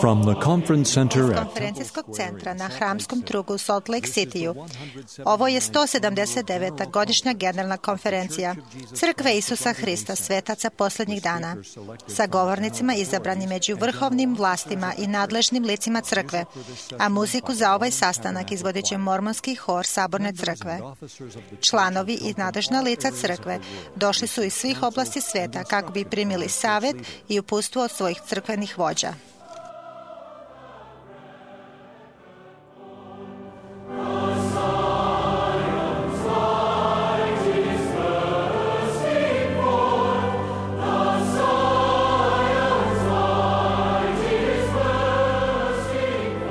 From the conference center Iz at konferencijskog centra na Hramskom trgu u Salt Lake Cityu. Ovo je 179. godišnja generalna konferencija Crkve Isusa Hrista, svetaca posljednjih dana, sa govornicima izabranim među vrhovnim vlastima i nadležnim licima crkve, a muziku za ovaj sastanak izvodit će mormonski hor Saborne crkve. Članovi i nadležna lica crkve došli su iz svih oblasti sveta kako bi primili savjet i uputstvo od svojih crkvenih vođa.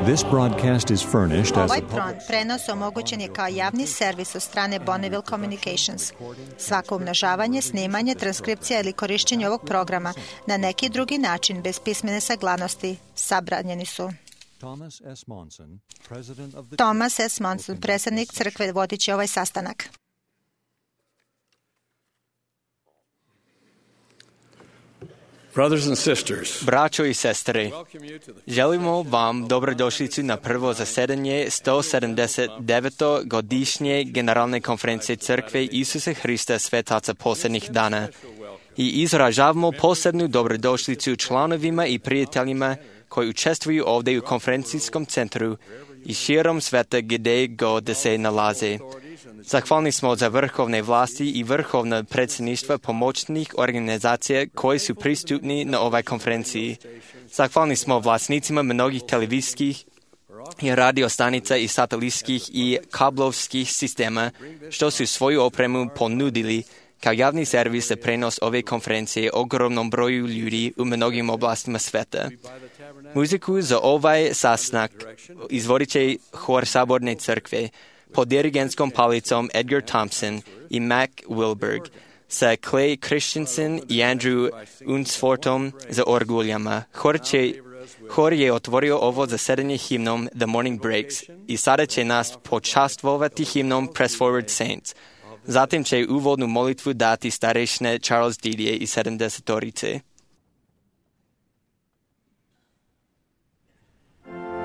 This broadcast is furnished as Ovaj a prenos omogućen je kao javni servis od strane Bonneville Communications. Svako umnožavanje, snimanje, transkripcija ili korištenje ovog programa na neki drugi način bez pismene saglasnosti zabranjeni su. Thomas S. Monson, predsjednik crkve, vodit će ovaj sastanak. Brothers and sisters, Braćo i sestre, želimo vam dobrodošlicu na prvo zasedanje 179. godišnje Generalne konferencije Crkve Isusa Hrista, svetaca posljednjih dana, i izražavamo posebnu dobrodošlicu članovima i prijateljima koji učestvuju ovdje u konferencijskom centru i širom sveta gdje god da se nalaze. Zahvalni smo za vrhovne vlasti i vrhovna predsjedništva pomoćnih organizacija koji su pristupni na ovoj konferenciji. Zahvalni smo vlasnicima mnogih televizijskih i radio stanica i satelitskih i kablovskih sistema što su svoju opremu ponudili kao javni servis za prenos ove konferencije ogromnom broju ljudi u mnogim oblastima sveta. Muziku za ovaj sastanak izvodit će hor Saborne crkve pod dirigentskom palicom Edgar Thompson i Mac Wilberg, sa Clay Christensen i Andrew Unsfortom za orguljama. Hor je otvorio ovo zasedanje himnom The Morning Breaks i sada će nas počastvovati himnom Press Forward Saints. Zatim će uvodnu molitvu dati starešine Charles Didier i 70-torice. Flame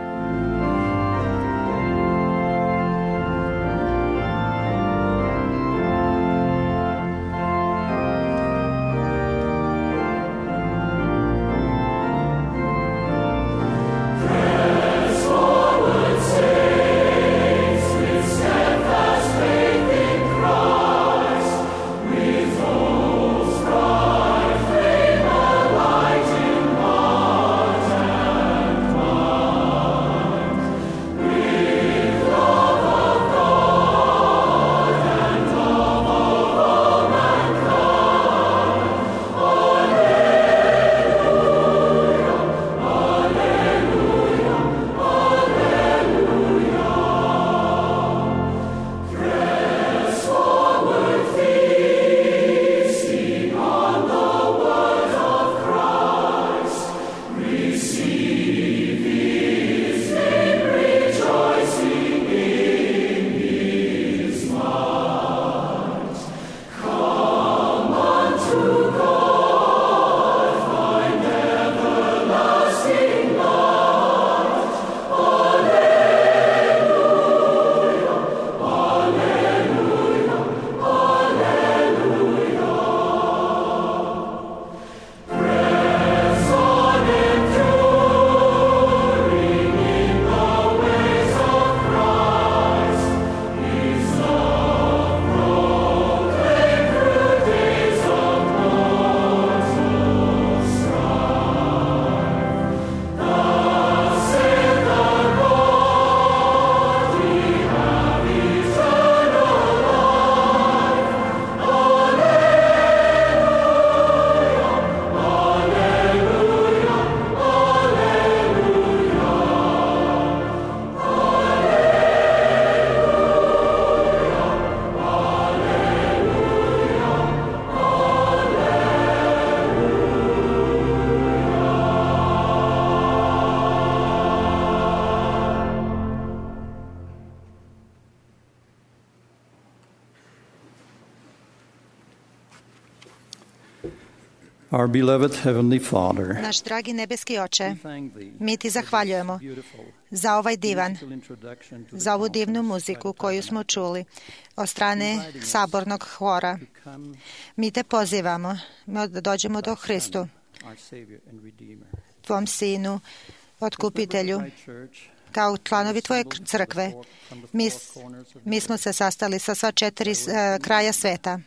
Our beloved Heavenly Father, Naš dragi nebeski Oče, mi ti zahvaljujemo za ovaj divan, za ovu divnu muziku koju smo čuli od strane sabornog hora. Mi te pozivamo da dođemo do Hristu, tvom Sinu, Otkupitelju, kao članovi tvoje crkve. Mi smo se sastali sa sva 4 kraja sveta,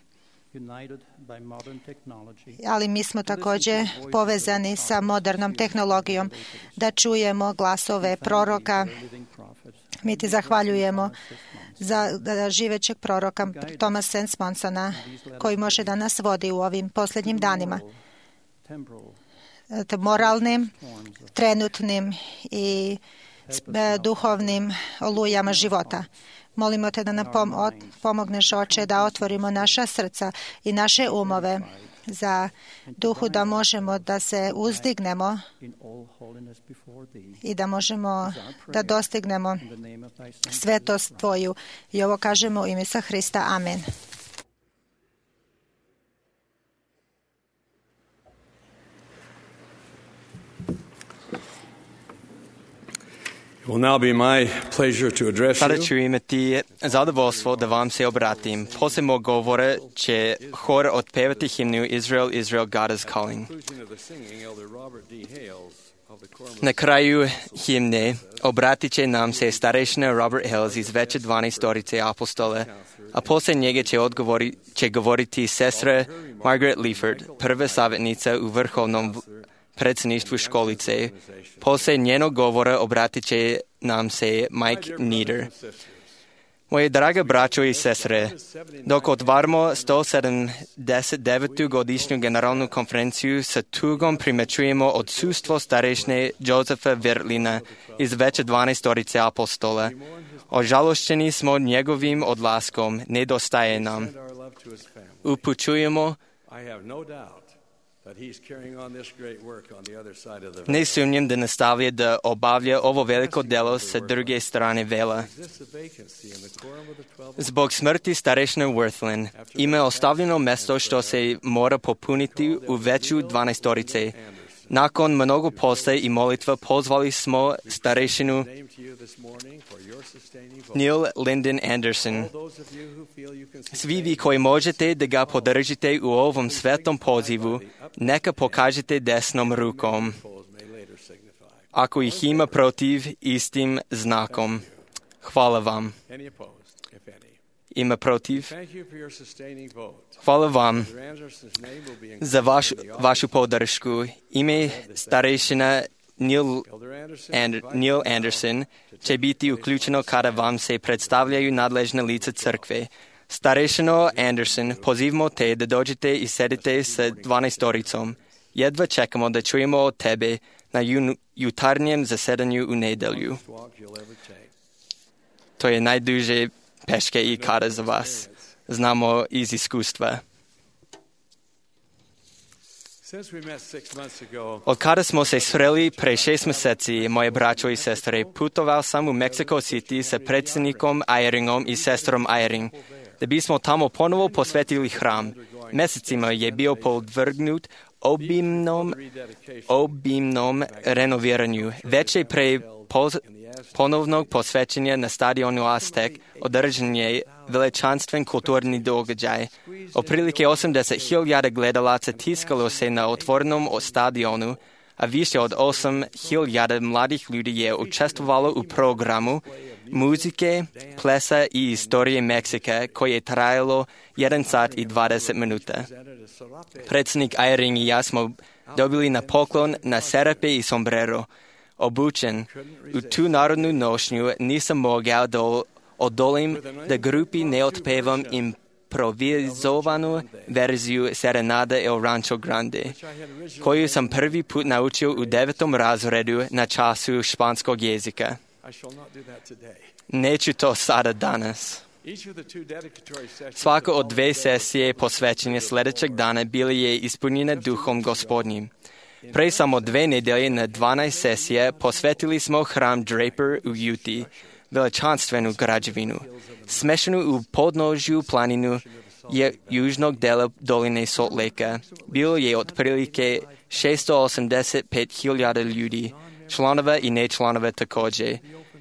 ali mi smo također povezani sa modernom tehnologijom da čujemo glasove proroka. Mi ti zahvaljujemo za živećeg proroka Thomasa Sensmonsona koji može da nas vodi u ovim posljednjim danima, moralnim, trenutnim i duhovnim olujama života. Molimo te da nam pomogneš, Oče, da otvorimo naša srca i naše umove za duhu, da možemo da se uzdignemo i da možemo da dostignemo svetost tvoju. I ovo kažemo u ime Isusa Hrista. Amen. Sada ću imati zadovoljstvo da vam se obratim. Poslije mog govora će hor otpevati himnu Israel, Israel, God is calling. Na kraju himne obratit će nam se starešina Robert Hales iz veće 12 apostole, a poslije njega će govoriti sestra Margaret Leaford, prva savjetnica u vrhovnom predsjedništvu školice. Poslije njenog govora obratit će nam se Mike Nieder. Moje draga braćo i sestre, dok otvaramo 179. godišnju generalnu konferenciju, sa tugom primećujemo odsustvo starešine Josefa Vertlina iz veće 12 apostola. Ožalošćeni smo njegovim odlaskom, nedostaje nam. Upućujemo, ne sumnjam da nastavlja da obavlja ovo veliko delo sa druge strane vela. Zbog smrti starešine Worthlin ima ostavljeno mjesto što se mora popuniti u veću 12. Nakon mnogo posla i molitva pozvali smo starešinu Neil Lyndon Anderson. Svi vi koji možete da ga podržite u ovom svetom pozivu, neka pokažete desnom rukom. Ako ih ima protiv, istim znakom. Hvala vam. Ima protiv? Hvala vam za vašu podršku. Ime starešina Neil Anderson će biti uključeno kada vam se predstavljaju nadležne lica crkve. Starešino Anderson, pozivamo te da dođete i sedite sa 12. Jedva čekamo da čujemo od tebe na jutarnjem zasedanju u nedjelju. To je najduže peške i kada za vas. Znamo iz iskustva. Od kada smo se sreli pre 6 mjeseci, moje braćo i sestre, putovao sam u Mexico City sa predsjednikom Eyringom i sestrom Eyring, da bismo tamo ponovo posvetili hram. Mjesecima je bio podvrgnut obimnom renoviranju. Već je pre ponovnog posvećenja na stadionu Aztek održan je veličanstven kulturni događaj. Otprilike 80.000 gledalaca tiskalo se na otvorenom stadionu, a više od 8.000 mladih ljudi je učestvovalo u programu muzike, plesa i istorije Meksika koje je trajalo 1 sat i 20 minuta. Predsjednik Eyring i ja smo dobili na poklon na serape i sombrero. Obučen u tu narodnu nošnju nisam mogao da odolim da grupi ne otpevam improvizovanu verziju Serenada El Rancho Grande, koju sam prvi put naučio u 9. razredu na času španskog jezika. Neću to sada danas. Svaka od 2 sesije posvećenja sljedećeg dana bili je ispunjena duhom Gospodnjim. Pre samo 2 nedelje na 12 sesija posvetili smo hram Draper u Utah, veličanstvenu građevinu, smešanu u podnožju planinu južnog dela doline Salt Lake. Bilo je otprilike 685,000 ljudi, članova i nečlanova također,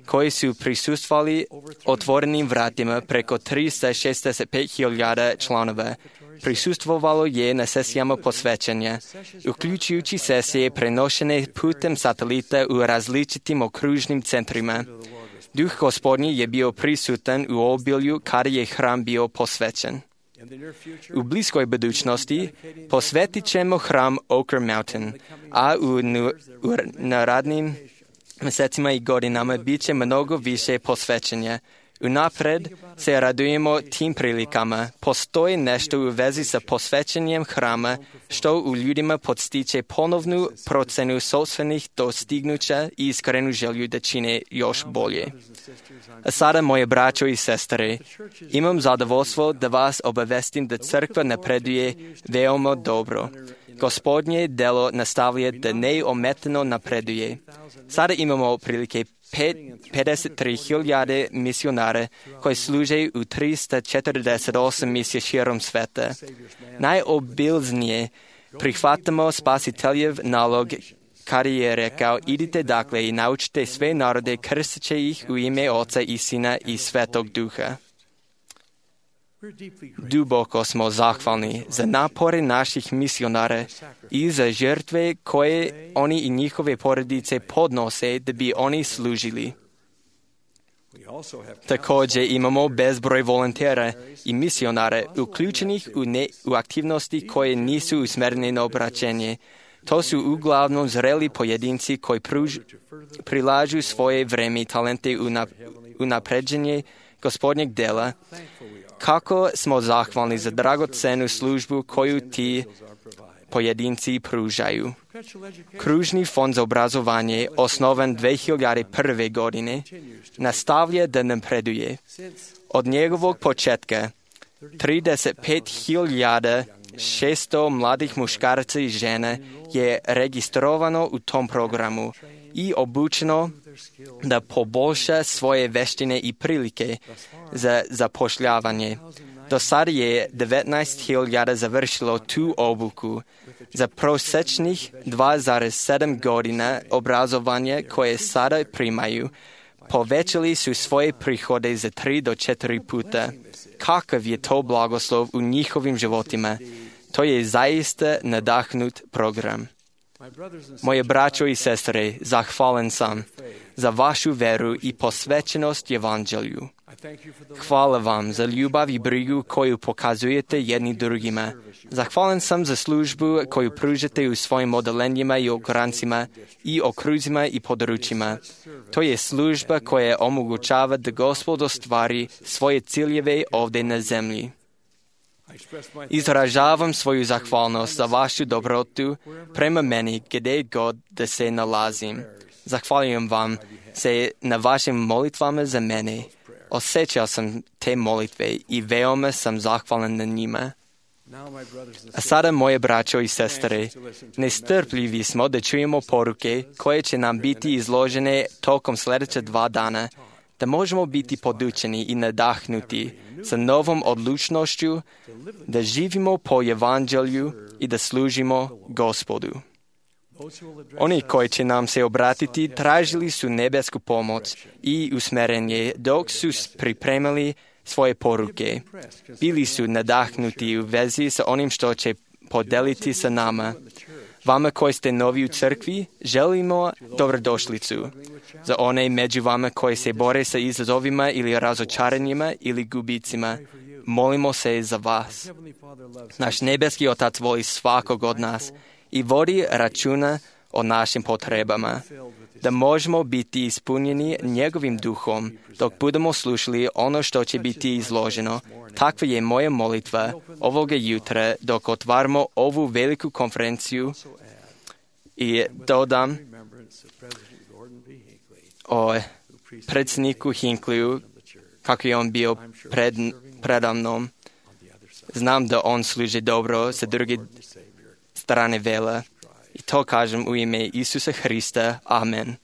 koji su prisustvovali otvorenim vratima preko 365,000 članova. Prisustvovalo je na sesijama posvećenja, uključujući sesije prenošene putem satelita u različitim okružnim centrima. Duh Gospodnji je bio prisutan u obilju kada je hram bio posvećen. U bliskoj budućnosti posvetit ćemo hram Oquirrh Mountain, a u narednim mjesecima i godinama bit će mnogo više posvećenja. Unapred se radujemo tim prilikama. Postoji nešto u vezi sa posvećenjem hrama što u ljudima podstiče ponovnu procenu sopstvenih dostignuća i iskrenu želju da čine još bolje. A sada, moje braćo i sestre, imam zadovoljstvo da vas obavestim da crkva napreduje veoma dobro. Gospodnje delo nastavlja da neometano napreduje. Sada imamo otprilike 53,000 misionara koji služe u 348 misija širom sveta. Najobilznije prihvatamo Spasiteljev nalog kada je rekao: idite dakle i naučite sve narode krsteći ih u ime Oca i Sina i Svetog Duha. Duboko smo zahvalni za napore naših misionara i za žrtve koje oni i njihove porodice podnose da bi oni služili. Također imamo bezbroj volontera i misionara uključenih u aktivnosti koje nisu usmjerene na obraćenje. To su uglavnom zreli pojedinci koji prilažu svoje vreme i talente u napređenje Gospodnjeg dela. Kako smo zahvalni za dragocenu službu koju ti pojedinci pružaju. Kružni fond za obrazovanje, osnovan 2001. godine, nastavlja da napreduje. Od njegovog početka 35,600 mladih muškaraca i žena je registrovano u tom programu i obučeno da poboljša svoje veštine i prilike za zapošljavanje. Do sada je 19,000 završilo tu obuku. Za prosječnih 2,7 godina obrazovanja koje sada primaju, povećali su svoje prihode za 3 do 4 puta. Kakav je to blagoslov u njihovim životima? To je zaista nadahnut program. Moje braćo i sestre, zahvalan sam za vašu veru i posvećenost Evanđelju. Hvala vam za ljubav i brigu koju pokazujete jedni drugima. Zahvalan sam za službu koju pružate u svojim odelenjima i ograncima i okruzima i područjima. To je služba koja omogućava da Gospod ostvari svoje ciljeve ovdje na zemlji. Izražavam svoju zahvalnost za vašu dobrotu prema meni gdje god da se nalazim. Zahvaljujem vam se na vašim molitvama za mene. Osjećao sam te molitve i veoma sam zahvalan na njima. A sada, moje braćo i sestre, nestrpljivi smo da čujemo poruke koje će nam biti izložene tokom sljedeća 2 dana, da možemo biti podučeni i nadahnuti sa novom odlučnošću da živimo po Evanđelju i da služimo Gospodu. Oni koji će nam se obratiti tražili su nebesku pomoć i usmjerenje dok su pripremali svoje poruke. Bili su nadahnuti u vezi sa onim što će podeliti sa nama. Vama koji ste novi u crkvi, želimo dobrodošlicu. Za one među vama koji se bore sa izazovima ili razočaranjima ili gubicima, molimo se za vas. Naš nebeski Otac voli svakog od nas i vodi računa o našim potrebama, da možemo biti ispunjeni njegovim duhom dok budemo slušali ono što će biti izloženo. Takva je moja molitva ovoga jutra dok otvaramo ovu veliku konferenciju i dodam o predsjedniku Hinkliju kako je on bio predamnom. Znam da on služi dobro sa druge strane vela. I to kažem u ime Isusa Hrista. Amen.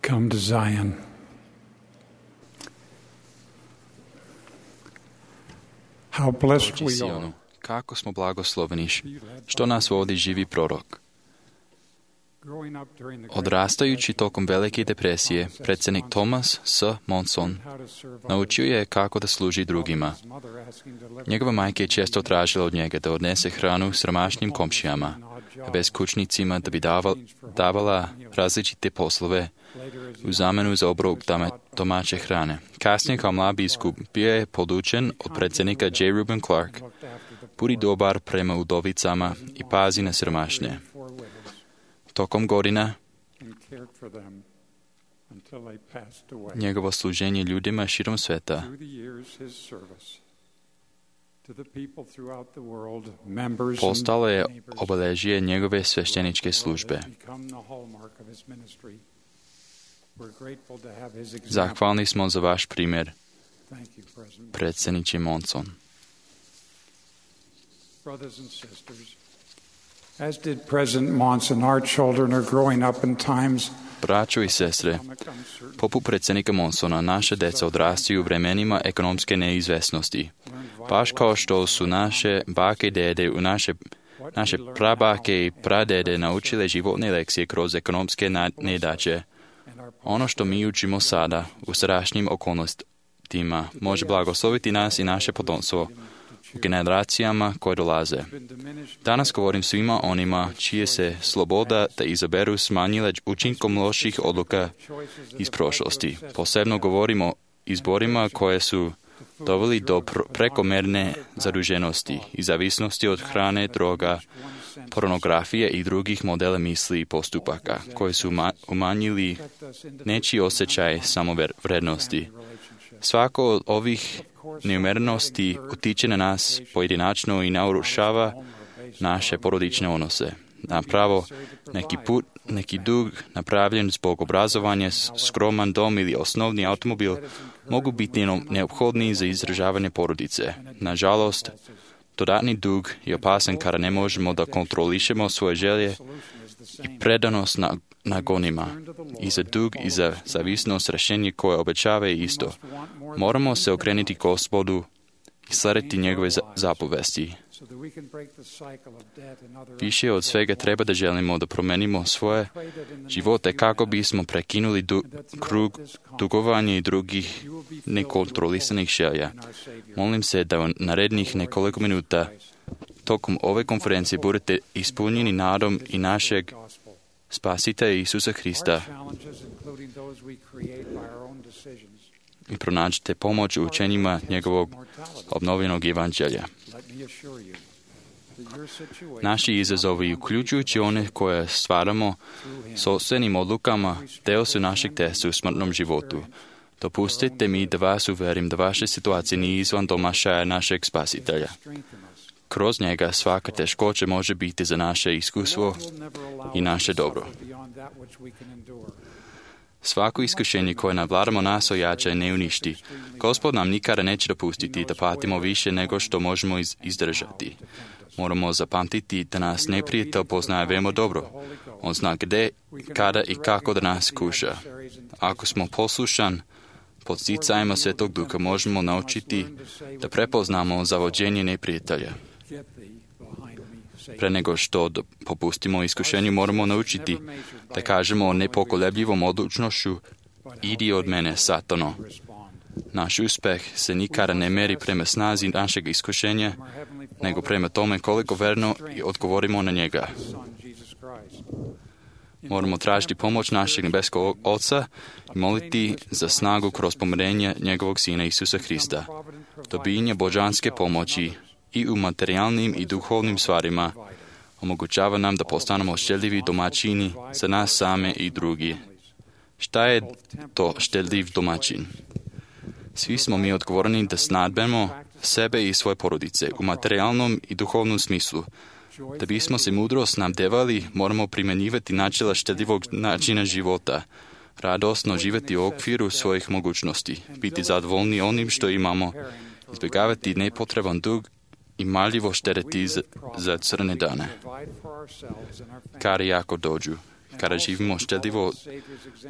come to Zion. How blessed Dođi we are. Sionu, kako smo blagosloveni, što nas vodi živi prorok. Odrastajući tokom Velike depresije, predsjednik Thomas S. Monson naučio je kako da služi drugima. Njegova majka je često tražila od njega da odnese hranu siromašnim komšijama, a beskućnicima da bi davala različite poslove u zamenu za obrok domaće hrane. Kasnije kao mlad biskup bio je podučen od predsjednika J. Reuben Clark: budi dobar prema udovicama i pazi na siromašne. Tokom godina njegovo služenje ljudima širom sveta postalo je obilježje njegove svešteničke službe. Zahvalni smo za vaš primjer, predsjedniče Monson. As did President Monson, our children are growing up in times. Braćo i sestre, poput predsjednika Monsona, naše deca odrastaju u vremenima ekonomske neizvesnosti. Baš kao što su naše bake i dede, naše prabake i pradede naučile životne lekcije kroz ekonomske nedaće. Ono što mi učimo sada u sadašnjim okolnostima može blagosloviti nas i naše potomstvo u generacijama koje dolaze. Danas govorim svima onima čije se sloboda da izaberu smanjile učinkom loših odluka iz prošlosti. Posebno govorimo o izborima koje su doveli do prekomerne zaduženosti i zavisnosti od hrane, droga, pornografije i drugih modela misli i postupaka koji su umanjili nečiji osjećaj samovrednosti. Svako od ovih neumjerenosti utiče na nas pojedinačno i narušava naše porodične odnose. Napravo, neki dug napravljen zbog obrazovanja, skroman dom ili osnovni automobil mogu biti neophodni za izdržavanje porodice. Nažalost, dodatni dug je opasan kada ne možemo da kontrolišemo svoje želje i predanost nagonima. I za dug i za zavisnost rješenje koje obećava je isto. Moramo se okrenuti Gospodu i slediti njegove zapovesti. Više od svega treba da želimo da promenimo svoje živote kako bismo prekinuli krug dugovanja i drugih nekontrolisanih želja. Molim se da u narednih nekoliko minuta tokom ove konferencije budete ispunjeni nadom i našeg Spasitelja Isusa Hrista i pronađite pomoć u učenjima njegovog obnovljenog evanđelja. Naši izazovi, uključujući one koje stvaramo sopstvenim odlukama, deo su našeg testa u smrtnom životu. Dopustite mi da vas uverim da vaša situacija nije izvan domašaja našeg Spasitelja. Kroz njega svaka teškoća može biti za naše iskustvo i naše dobro. Svako iskušenje koje navladamo nas ojača i ne uništi. Gospod nam nikada neće dopustiti da patimo više nego što možemo izdržati. Moramo zapamtiti da nas neprijatelj poznaje veoma dobro. On zna gdje, kada i kako da nas kuša. Ako smo poslušan, pod sticajima Svetog Duha možemo naučiti da prepoznamo zavođenje neprijatelja. Pre nego što popustimo iskušenju, moramo naučiti da kažemo nepokolebljivom odlučnošću: idi od mene, Satano. Naš uspeh se nikada ne meri prema snazi našeg iskušenja, nego prema tome koliko verno i odgovorimo na njega. Moramo tražiti pomoć našeg nebeskog Oca i moliti za snagu kroz pomirenje njegovog Sina Isusa Hrista. Dobijanje božanske pomoći i u materijalnim i duhovnim stvarima omogućava nam da postanemo štedljivi domaćini za nas same i drugi. Šta je to štedljiv domaćin? Svi smo mi odgovorni da snadbemo sebe i svoje porodice u materijalnom i duhovnom smislu. Da bismo se mudro snabdevali, moramo primjenjivati načela štedljivog načina života, radosno živjeti u okviru svojih mogućnosti, biti zadovoljni onim što imamo, izbjegavati nepotreban dug i marljivo štediti za crne dane. Kada jako dođu. Kada živimo štedljivo,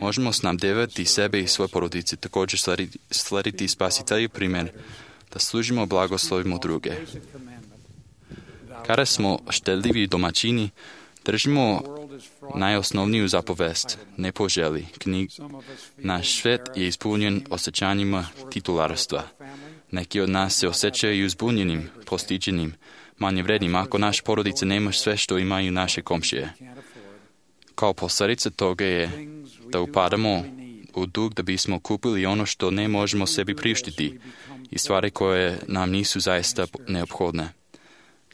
možemo snabdevati sebe i svoje porodice, također slediti spasitelji primjer, da služimo blagoslovimo druge. Kada smo štedljivi domaćini, držimo najosnovniju zapovest, ne poželi. Naš svet je ispunjen osjećanjima titularstva. Neki od nas se osjećaju uzbunjenim, postiđenim, manje vrednim ako naš porodice nema sve što imaju naše komšije. Kao posljedica toga je da upadamo u dug da bismo kupili ono što ne možemo sebi priuštiti i stvari koje nam nisu zaista neophodne.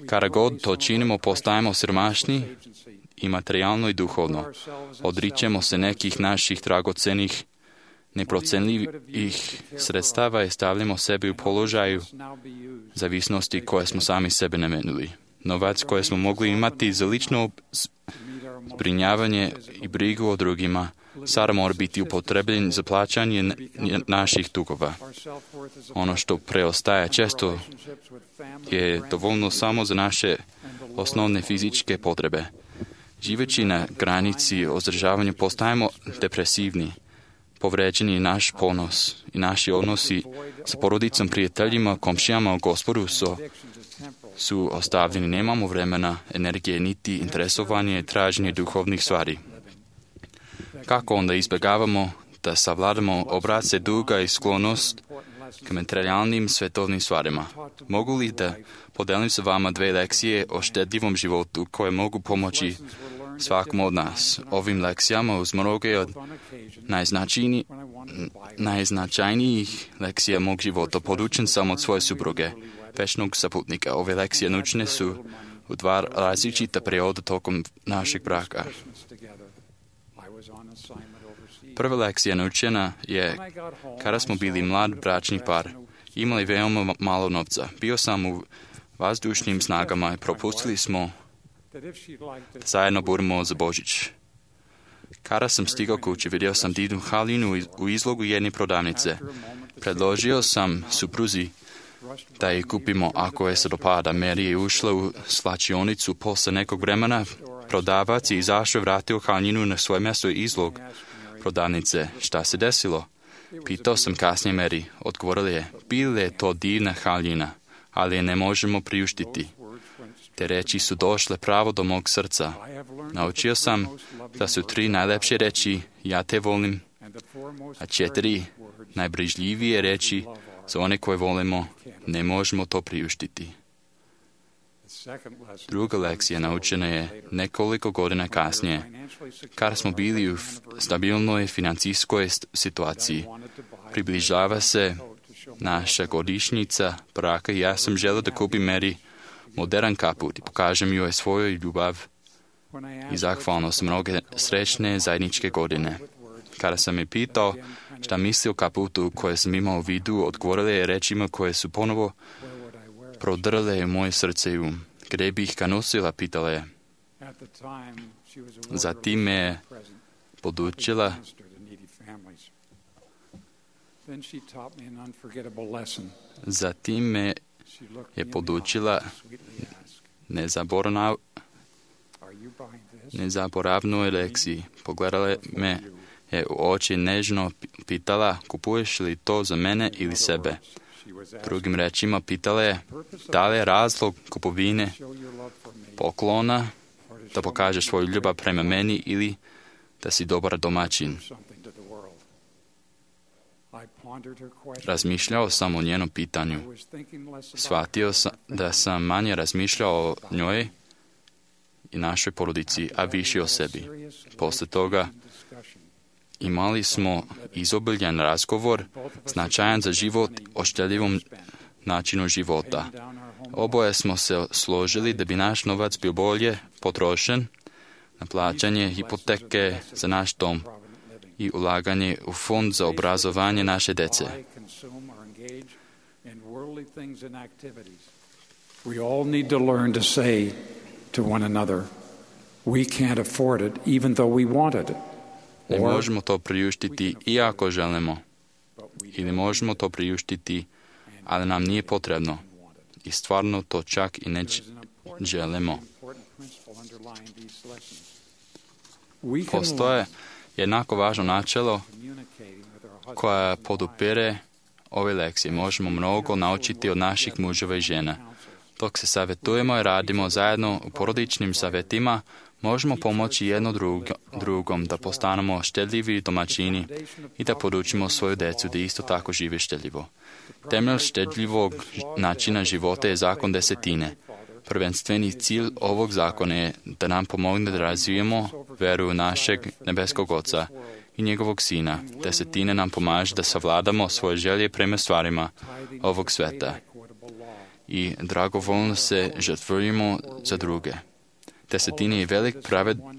Kada god to činimo, postajemo siromašni i materijalno i duhovno. Odričemo se nekih naših dragocenih, neprocenljivih sredstava i stavljamo sebi u položaju zavisnosti koje smo sami sebe namenili. Novac koje smo mogli imati za lično zbrinjavanje i brigu o drugima sada mora biti upotrebljen za plaćanje naših dugova. Ono što preostaje često je dovoljno samo za naše osnovne fizičke potrebe. Živeći na granici ozdržavanja postajemo depresivni. Povređeni je naš ponos i naši odnosi sa porodicom, prijateljima, komšijama u Gospodu su ostavljeni. Nemamo vremena, energije, niti interesovanje i traženje duhovnih stvari. Kako onda izbjegavamo da savladamo obrace duga i sklonost k materijalnim svetovnim stvarima? Mogu li da podelim sa vama 2 lekcije o štedljivom životu koje mogu pomoći svakom od nas? Ovim lekcijama uz mnoge od najznačajnijih lekcija mog života podučen sam od svoje supruge, večnog saputnika. Ove lekcije naučene su u 2 različita perioda tokom našeg braka. Prva lekcija naučena je kada smo bili mlad bračni par. Imali veoma malo novca. Bio sam u vazdušnim snagama i propustili smo da zajedno budemo za Božić. Kada sam stigao kući, vidio sam divnu haljinu u izlogu jedne prodavnice. Predložio sam supruzi da je kupimo ako je se dopada. Mary je ušla u slačionicu posle nekog vremena. Prodavac je izašao i vratio haljinu na svoje mjesto izlog prodavnice. Šta se desilo? Pitao sam kasnije Mary. Odgovorila je, bila je to divna haljina, ali je ne možemo priuštiti. Te reči su došle pravo do mog srca. Naučio sam da su 3 najlepše reči, ja te volim, a 4 najbrižljivije reči za one koje volimo, ne možemo to priuštiti. Druga lekcija naučena je nekoliko godina kasnije, kada smo bili u stabilnoj financijskoj situaciji. Približava se naša godišnjica braka i ja sam želio da kupim Mary modern kaput i pokažem joj svoju ljubav i zahvalnost mnoge srećne zajedničke godine. Kada sam je pitao šta misli o kaputu koje sam imao u vidu, odgovorila je rečima koje su ponovo prodrle moje srce i um. Gdje bih ga nosila, pitala je. Zatim me podučila nezaboravnoj lekciji. Pogledala me je u oči nežno pitala, kupuješ li to za mene ili sebe? Drugim rečima pitala je, da li je razlog kupovine poklona da pokažeš svoju ljubav prema meni ili da si dobar domaćin. Razmišljao sam o njenom pitanju. Shvatio sam da sam manje razmišljao o njoj i našoj porodici, a više o sebi. Posle toga imali smo izobiljan razgovor, značajan za život o štedljivom načinu života. Oboje smo se složili da bi naš novac bio bolje potrošen na plaćanje hipoteke za naš dom i ulaganje u fond za obrazovanje naše dece. We all need to learn to say to one another, we can't afford it even though we want it. Ne možemo to priuštiti iako želimo. Ili možemo to priuštiti, ali nam nije potrebno. I stvarno to čak i ne želimo. Postoje jednako važno načelo koja podupire ove lekcije. Možemo mnogo naučiti od naših muževa i žena. Dok se savjetujemo i radimo zajedno u porodičnim savjetima, možemo pomoći jedno drugom da postanemo štedljivi domaćini i da podučimo svoju djecu da isto tako žive štedljivo. Temelj štedljivog načina života je zakon desetine. Prvenstveni cilj ovog zakona je da nam pomogne da razvijemo veru našeg nebeskog Oca i njegovog Sina. Desetine nam pomaže da savladamo svoje želje prema stvarima ovog sveta i dragovoljno se žrtvujemo za druge. Desetine je velik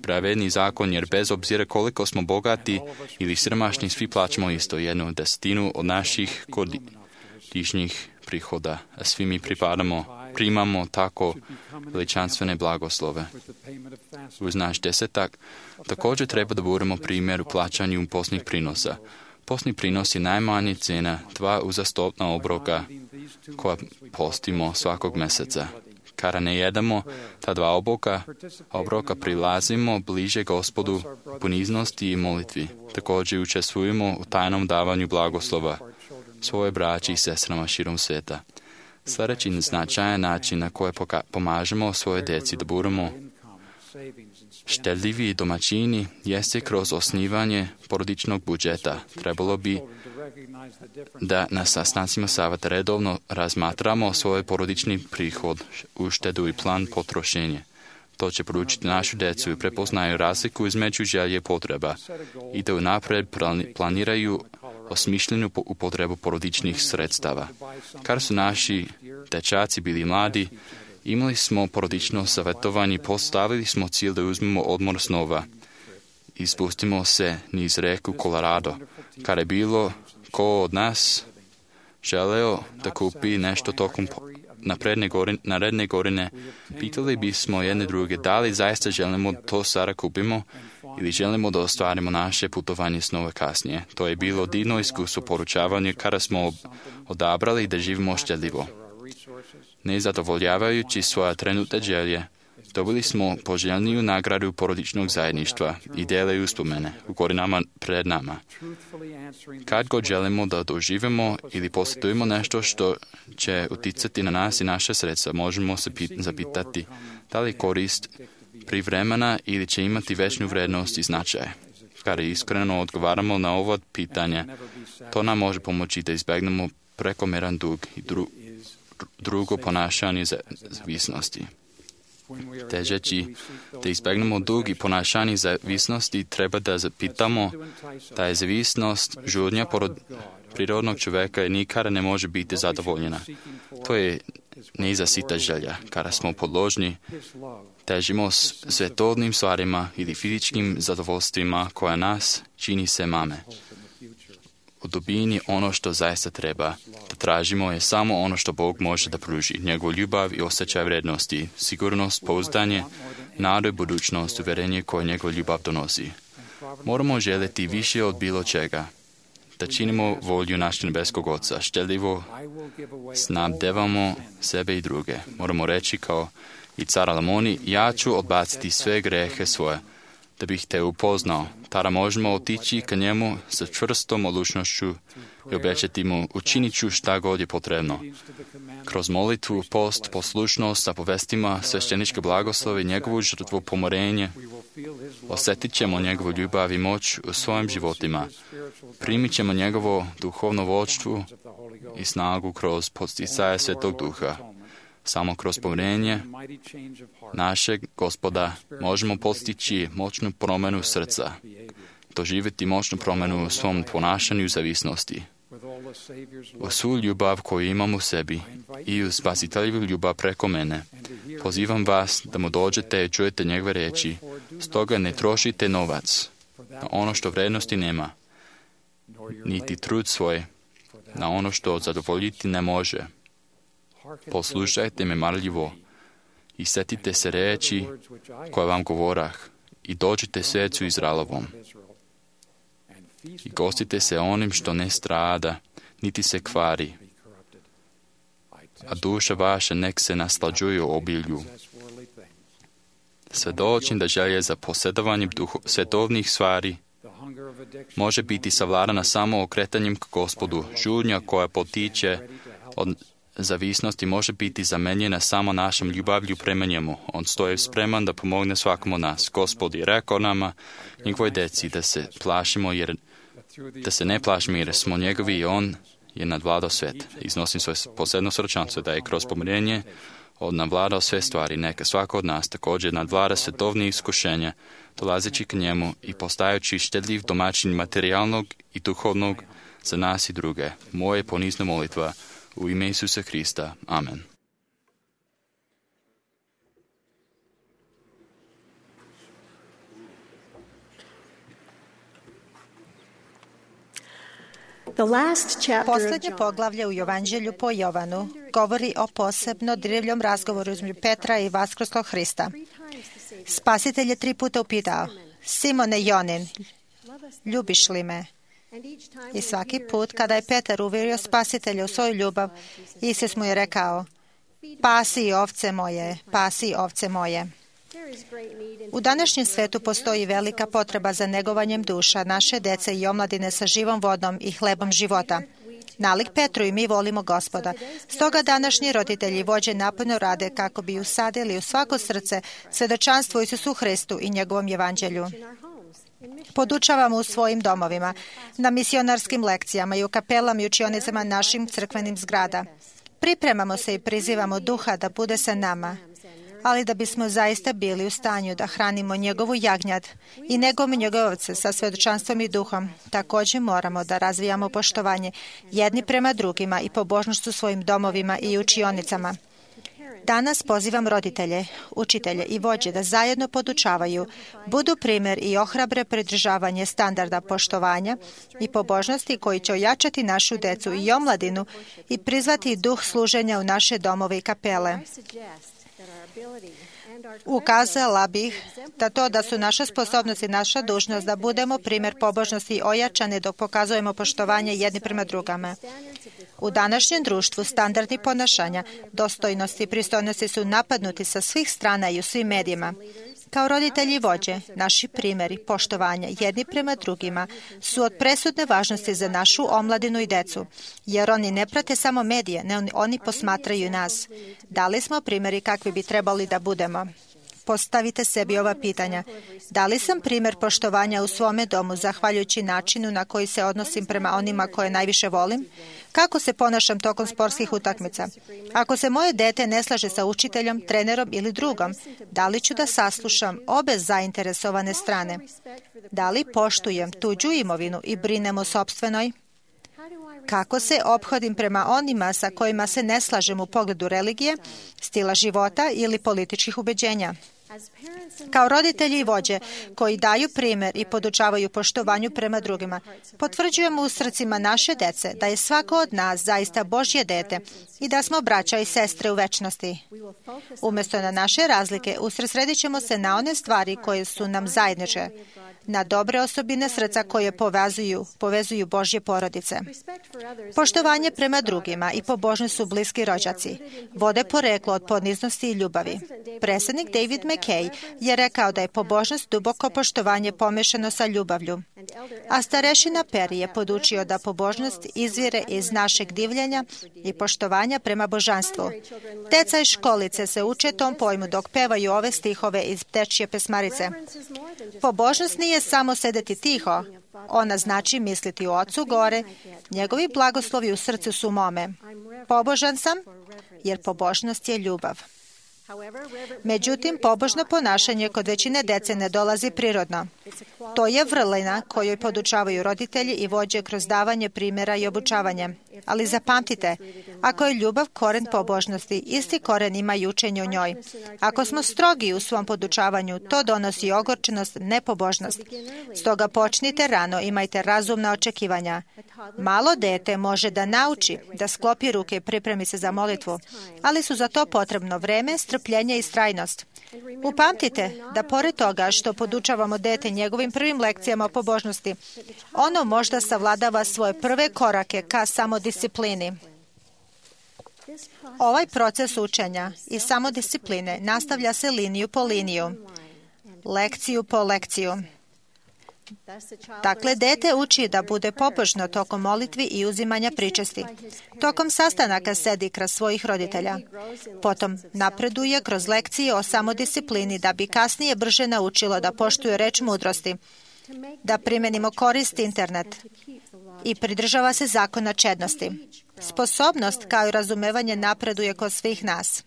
pravedni zakon, jer bez obzira koliko smo bogati ili siromašni, svi plaćamo isto 1/10 od naših godišnjih prihoda, a svi mi primamo tako veličanstvene blagoslove. Uz naš desetak također treba da budemo primjer u plaćanju posnih prinosa. Posni prinos je najmanja cena 2 uzastopna obroka koja postimo svakog mjeseca. Kada ne jedemo ta 2 obroka prilazimo bliže Gospodu poniznosti i molitvi. Također učestvujemo u tajnom davanju blagoslova svoje braći i sestrama širom sveta. Sljedeći značajan način na koji pomažemo svoje djeci da budemo štedljivi domaćini jeste kroz osnivanje porodičnog budžeta. Trebalo bi da na sastancima savjeta redovno razmatramo svoj porodični prihod, uštedu i plan potrošenja. To će poručiti našu djecu i prepoznaju razliku između želje i potreba i da unaprijed planiraju osmišljenu upotrebu porodičnih sredstava. Kada su naši dečaci bili mladi, imali smo porodično savjetovanje i postavili smo cilj da uzmemo odmor snova i spustimo se niz reku Colorado. Kada je bilo ko od nas želeo da kupi nešto tokom naredne godine, pitali bismo jedne druge da li zaista želimo to sada kupimo ili želimo da ostvarimo naše putovanje snova kasnije. To je bilo divno iskustvo poručavanja kada smo odabrali da živimo štedljivo. Nezadovoljavajući svoje trenutne želje, dobili smo poželjniju nagradu porodičnog zajedništva i dele uspomene u godinama pred nama. Kad god želimo da doživimo ili posjetujemo nešto što će uticati na nas i naše sredstva, možemo se zapitati da li korist privremena ili će imati većnu vrednost i značaj. Kada iskreno odgovaramo na ova pitanja, to nam može pomoći da izbjegnemo prekomeran dug i drugo ponašanje zavisnosti. Težeći da izbjegnemo dug i ponašanje zavisnosti, treba da zapitamo da je zavisnost žudnja prirodnog čovjeka i nikada ne može biti zadovoljena. To je nezasita želja. Kada smo podložni, težimo svjetodnim stvarima ili fizičkim zadovoljstvima koja nas čini se mame. U dubini ono što zaista treba da tražimo je samo ono što Bog može da pruži. Njegovu ljubav i osjećaj vrednosti, sigurnost, pouzdanje, nadu i budućnost, uvjerenje koje njegova ljubav donosi. Moramo željeti više od bilo čega. Da činimo volju našeg nebeskog Oca, štedljivo snabdevamo sebe i druge. Moramo reći kao i car Alamoni, ja ću odbaciti sve grehe svoje, da bih te upoznao. Tada možemo otići ka njemu sa čvrstom odlučnošću i obećati mu, učinit ću šta god je potrebno. Kroz molitvu, post, poslušnost sa povestima, svešteničke blagoslove i njegovu žrtvu pomorenje, osjetit ćemo njegovu ljubav i moć u svojim životima. Primit ćemo njegovo duhovno vodstvo i snagu kroz podsticaje Svetog Duha. Samo kroz povjerenje našeg Gospoda možemo postići moćnu promjenu srca, doživjeti moćnu promjenu u svom ponašanju zavisnosti. U svu ljubav koju imam u sebi i u spasiteljivu ljubav preko mene, pozivam vas da mu dođete i čujete njegove riječi. Stoga ne trošite novac na ono što vrednosti nema, niti trud svoj na ono što zadovoljiti ne može. Poslušajte me marljivo i setite se riječi koje vam govorah i dođite svecu Izraelovom. I gostite se onim što ne strada, niti se kvari, a duša vaša nek se naslađuje u obilju. Svedočim da želje za posjedovanjem svetovnih stvari može biti savladana samo okretanjem k Gospodu. Žurnja koja potiče od zavisnosti može biti zamenjena samo našom ljubavlju prema njemu. On stoji spreman da pomogne svakom od nas. Gospod je rekao nama, njegovoj deci, da se ne plašimo jer smo njegovi i on je nadvladao svet. Iznosim svoje posebno sročanstvo da je kroz pomirenje nadvladao sve stvari. Neka svako od nas također nadvlada svetovnih iskušenja, dolazeći k njemu i postajući štedljiv domaćin materijalnog i duhovnog za nas i druge. Moje ponizna molitva u ime Isusa Hrista. Amen. Posljednje poglavlje u Evanđelju po Jovanu govori o posebno dirljivom razgovoru između Petra i vaskrslog Hrista. Spasitelj je 3 puta upitao: Simone Jonin, ljubiš li me? I svaki put kada je Petar uvjerio Spasitelja u svoju ljubav, Isus mu je rekao: Pasi ovce moje, pasi ovce moje. U današnjem svetu postoji velika potreba za negovanjem duša naše dece i omladine sa živom vodom i hlebom života. Nalik Petru i mi volimo Gospoda. Stoga današnji roditelji i vođe naporno rade kako bi usadili u svako srce svjedočanstvo Isusu Hristu i njegovom evanđelju. Podučavamo u svojim domovima, na misionarskim lekcijama i u kapelama i učionicama našim crkvenim zgrada. Pripremamo se i prizivamo duha da bude sa nama, ali da bismo zaista bili u stanju da hranimo njegovu jagnjad i negujemo njegove ovce sa svjedočanstvom i duhom, također moramo da razvijamo poštovanje jedni prema drugima i pobožnost u svojim domovima i učionicama. Danas pozivam roditelje, učitelje i vođe da zajedno podučavaju, budu primjer i ohrabre pridržavanje standarda poštovanja i pobožnosti koji će ojačati našu decu i omladinu i prizvati duh služenja u naše domove i kapele. Ukazala bih da su naša sposobnost i naša dužnost da budemo primjer pobožnosti ojačane dok pokazujemo poštovanje jedni prema drugama. U današnjem društvu standardi ponašanja, dostojnosti i pristojnosti su napadnuti sa svih strana i u svim medijima. Kao roditelji i vođe, naši primjeri poštovanja jedni prema drugima su od presudne važnosti za našu omladinu i decu, jer oni ne prate samo medije, ne, oni posmatraju nas. Da li smo primjeri kakvi bi trebali da budemo? Postavite sebi ova pitanja. Da li sam primjer poštovanja u svome domu zahvaljujući načinu na koji se odnosim prema onima koje najviše volim? Kako se ponašam tokom sportskih utakmica? Ako se moje dete ne slaže sa učiteljom, trenerom ili drugom, da li ću da saslušam obe zainteresovane strane? Da li poštujem tuđu imovinu i brinem o sopstvenoj? Kako se ophodim prema onima sa kojima se ne slažem u pogledu religije, stila života ili političkih ubeđenja? Kao roditelji i vođe koji daju primjer i podučavaju poštovanju prema drugima, potvrđujemo u srcima naše dece da je svako od nas zaista Božje dete i da smo braća i sestre u večnosti. Umjesto na naše razlike, usredsredit ćemo se na one stvari koje su nam zajedničke, na dobre osobine srca koje povezuju Božje porodice. Poštovanje prema drugima i pobožnost su bliski rođaci. Vode poreklo od poniznosti i ljubavi. Predsjednik David McKay je rekao da je pobožnost duboko poštovanje pomešano sa ljubavlju. A starešina Perry je podučio da pobožnost izvire iz našeg divljenja i poštovanja prema božanstvu. Deca iz školice se uče tom pojmu dok pevaju ove stihove iz dečje pesmarice. Pobožnost nije samo sedeti tiho, ona znači misliti o Ocu gore, njegovi blagoslovi u srcu su mome. Pobožan sam, jer pobožnost je ljubav. Međutim, pobožno ponašanje kod većine dece ne dolazi prirodno. To je vrlina kojoj podučavaju roditelji i vođe kroz davanje primjera i obučavanje. Ali zapamtite, ako je ljubav koren pobožnosti, isti koren ima i učenje o njoj. Ako smo strogi u svom podučavanju, to donosi ogorčenost, nepobožnost. Stoga počnite rano, imajte razumna očekivanja. Malo dete može da nauči, da sklopi ruke i pripremi se za molitvu, ali su za to potrebno vreme, strpljenje i istrajnost. Upamtite da pored toga što podučavamo dete njegovim prvim lekcijama o pobožnosti, ono možda savladava svoje prve korake ka samodisciplini. Ovaj proces učenja i samodiscipline nastavlja se liniju po liniju. lekciju po lekciju. Dakle, dete uči da bude pobožno tokom molitvi i uzimanja pričesti. Tokom sastanaka sedi kroz svojih roditelja. Potom napreduje kroz lekcije o samodisciplini da bi kasnije brže naučilo da poštuje reč mudrosti, da primenimo korist internet i pridržava se zakona čednosti. Sposobnost kao i razumevanje napreduje kod svih nas.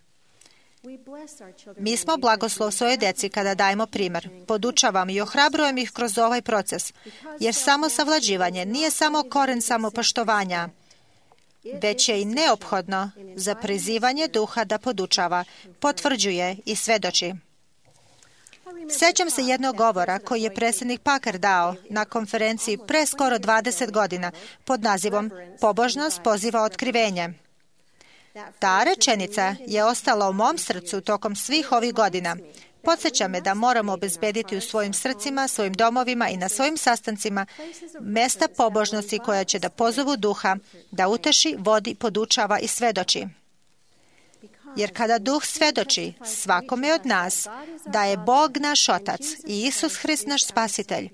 Mi smo blagoslov svojoj deci kada dajemo primjer. Podučavam i ohrabrujem ih kroz ovaj proces, jer samo savlađivanje nije samo koren samopoštovanja, već je i neophodno za prizivanje duha da podučava, potvrđuje i svedoči. Sjećam se jednog govora koji je predsjednik Packer dao na konferenciji pre skoro 20 godina pod nazivom Pobožnost poziva otkrivenje. Ta rečenica je ostala u mom srcu tokom svih ovih godina. Podsjeća me da moramo obezbediti u svojim srcima, svojim domovima i na svojim sastancima mesta pobožnosti koja će da pozovu duha, da uteši, vodi, podučava i svedoči. Jer kada duh svedoči svakome od nas da je Bog naš Otac i Isus Hrist naš Spasitelj,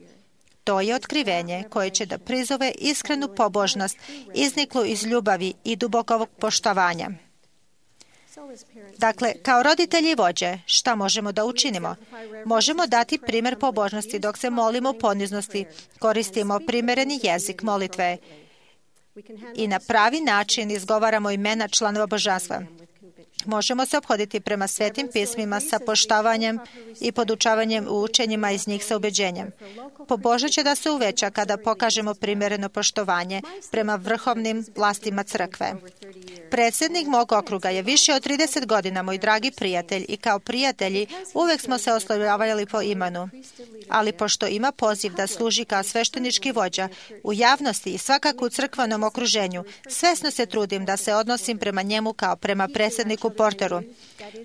to je otkrivenje koje će da prizove iskrenu pobožnost, izniklu iz ljubavi i dubokog poštovanja. Dakle, kao roditelji i vođe, šta možemo da učinimo? Možemo dati primjer pobožnosti dok se molimo u poniznosti, koristimo primereni jezik molitve i na pravi način izgovaramo imena članova božanstva. Možemo se ophoditi prema svetim pismima sa poštovanjem i podučavanjem u učenjima iz njih sa ubeđenjem. Pobožnost će da se uveća kada pokažemo primjereno poštovanje prema vrhovnim vlastima crkve. Predsjednik mog okruga je više od 30 godina moj dragi prijatelj i kao prijatelji uvijek smo se oslovljavali po imenu. Ali pošto ima poziv da služi kao sveštenički vođa u javnosti i svakako u crkvenom okruženju, svesno se trudim da se odnosim prema njemu kao prema predsjedniku Porteru.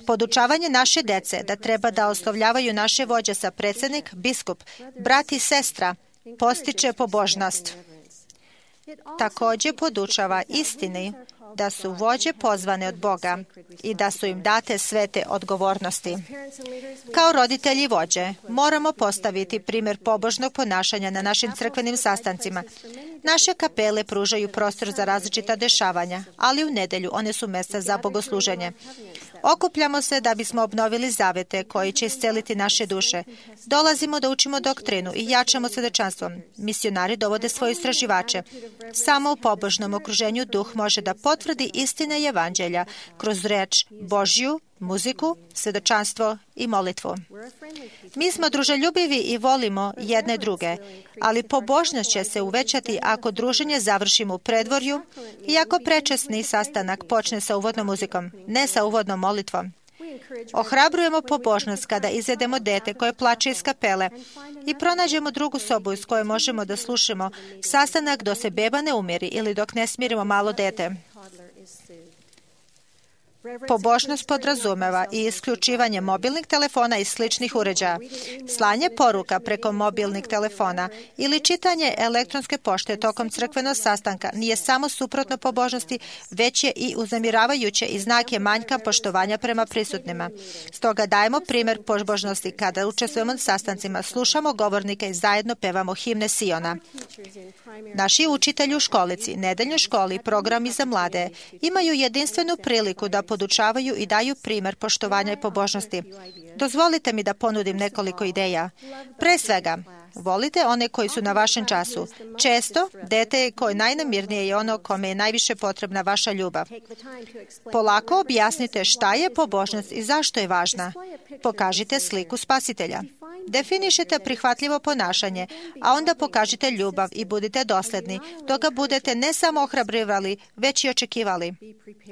Podučavanje naše dece da treba da oslovljavaju naše vođe sa predsjednik, biskup, brat i sestra postiče pobožnost. Također podučava istini da su vođe pozvane od Boga i da su im date svete odgovornosti. Kao roditelji i vođe moramo postaviti primjer pobožnog ponašanja na našim crkvenim sastancima. Naše kapele pružaju prostor za različita dešavanja, ali u nedjelju one su mjesta za bogosluženje. Okupljamo se da bismo obnovili zavete koji će isceliti naše duše. Dolazimo da učimo doktrinu i jačamo svedočanstvom. Misionari dovode svoje istraživače. Samo u pobožnom okruženju duh može da potvrdi istine i evanđelja kroz reč Božju, muziku, svedočanstvo i molitvu. Mi smo druželjubivi i volimo jedne druge, ali pobožnost će se uvećati ako druženje završimo u predvorju i ako prečasni sastanak počne sa uvodnom muzikom, ne sa uvodnom molitvom. Ohrabrujemo pobožnost kada izvedemo dete koje plače iz kapele i pronađemo drugu sobu iz koje možemo da slušamo sastanak dok se beba ne umiri ili dok ne smirimo malo dete. Pobožnost podrazumeva i isključivanje mobilnih telefona i sličnih uređaja, slanje poruka preko mobilnih telefona ili čitanje elektronske pošte tokom crkvenog sastanka nije samo suprotno pobožnosti, već je i uznemiravajuće i znak je manjka poštovanja prema prisutnima. Stoga dajemo primjer pobožnosti kada učestvujemo na sastancima, slušamo govornike i zajedno pevamo himne Siona. Naši učitelji u školici, nedeljnoj školi i programi za mlade imaju jedinstvenu priliku da podučavaju i daju primjer poštovanja i pobožnosti. Dozvolite mi da ponudim nekoliko ideja. Pre svega, volite one koji su na vašem času. Često, dete koje najnamirnije je ono kome je najviše potrebna vaša ljubav. Polako objasnite šta je pobožnost i zašto je važna. Pokažite sliku Spasitelja. Definišite prihvatljivo ponašanje, a onda pokažite ljubav i budite dosljedni, dok ga budete ne samo ohrabrivali, već i očekivali.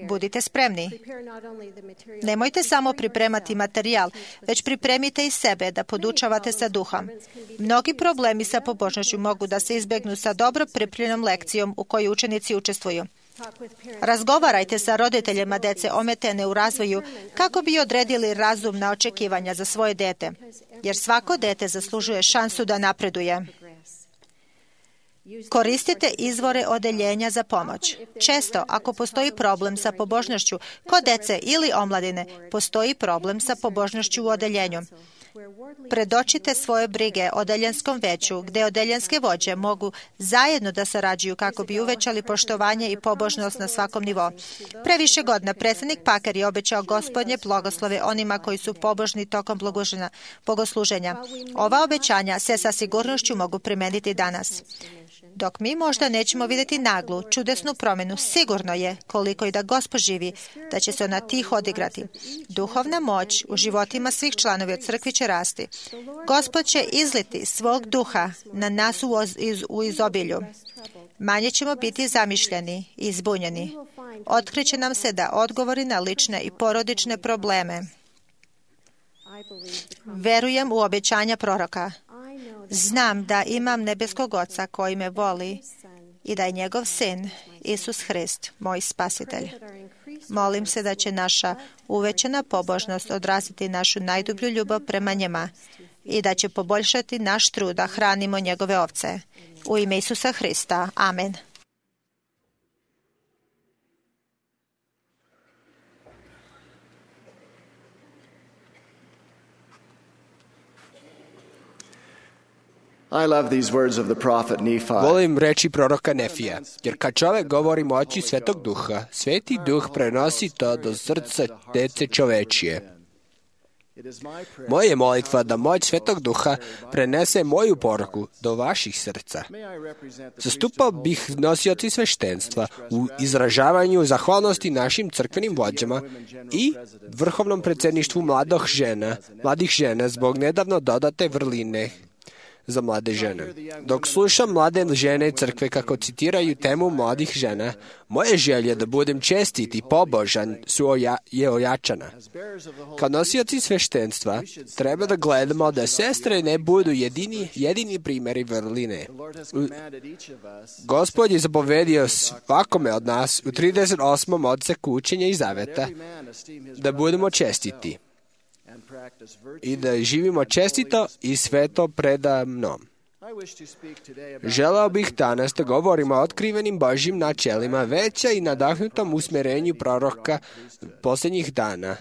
Budite spremni. Nemojte samo pripremati materijal, već pripremite i sebe da podučavate sa duhom. Mnogi problemi sa pobožnošću mogu da se izbjegnu sa dobro pripremljenom lekcijom u kojoj učenici učestvuju. Razgovarajte sa roditeljima dece ometene u razvoju kako bi odredili razumna očekivanja za svoje dete, jer svako dete zaslužuje šansu da napreduje. Koristite izvore odeljenja za pomoć. Često, ako postoji problem sa pobožnošću kod dece ili omladine, postoji problem sa pobožnošću u odeljenju. Predočite svoje brige odeljenskom veću, gde odeljenske vođe mogu zajedno da sarađuju kako bi uvećali poštovanje i pobožnost na svakom nivou. Pre više godina predsjednik Packer je obećao Gospodnje blagoslove onima koji su pobožni tokom bogosluženja. Ova obećanja se sa sigurnošću mogu primeniti danas. Dok mi možda nećemo vidjeti naglu, čudesnu promjenu, sigurno je, koliko i da Gospod živi, da će se ona tiho odigrati. Duhovna moć u životima svih članova crkvi će rasti. Gospod će izliti svog duha na nas u izobilju. Manje ćemo biti zamišljeni i zbunjeni. Otkriće nam se da odgovori na lične i porodične probleme. Verujem u obećanja proroka. Znam da imam nebeskog Oca koji me voli i da je njegov sin, Isus Hrist, moj spasitelj. Molim se da će naša uvećana pobožnost odraziti našu najdublju ljubav prema njima i da će poboljšati naš trud da hranimo njegove ovce. U ime Isusa Hrista. Amen. Volim reči proroka Nefija, jer kad čovek govori moći Svetog Duha, Sveti Duh prenosi to do srca dece čovečije. Moja je molitva da moć Svetog Duha prenese moju poruku do vaših srca. Zastupao bih nosioci sveštenstva u izražavanju zahvalnosti našim crkvenim vođama i vrhovnom predsjedništvu mladih žena zbog nedavno dodate vrline za mlade žene. Dok slušam mlade žene crkve kako citiraju temu mladih žena, moje želje da budem čestit i pobožan je ojačana. Kao nosioci sveštenstva treba da gledamo da sestre ne budu jedini primjeri vrline. Gospod je zapovedio svakome od nas u 38. odseku učenja i zaveta da budemo čestiti i da živimo čestito i sveto predamnom. Želeo bih danas da govorimo o otkrivenim Božjim načelima veća i nadahnutom usmjerenju proroka posljednjih dana.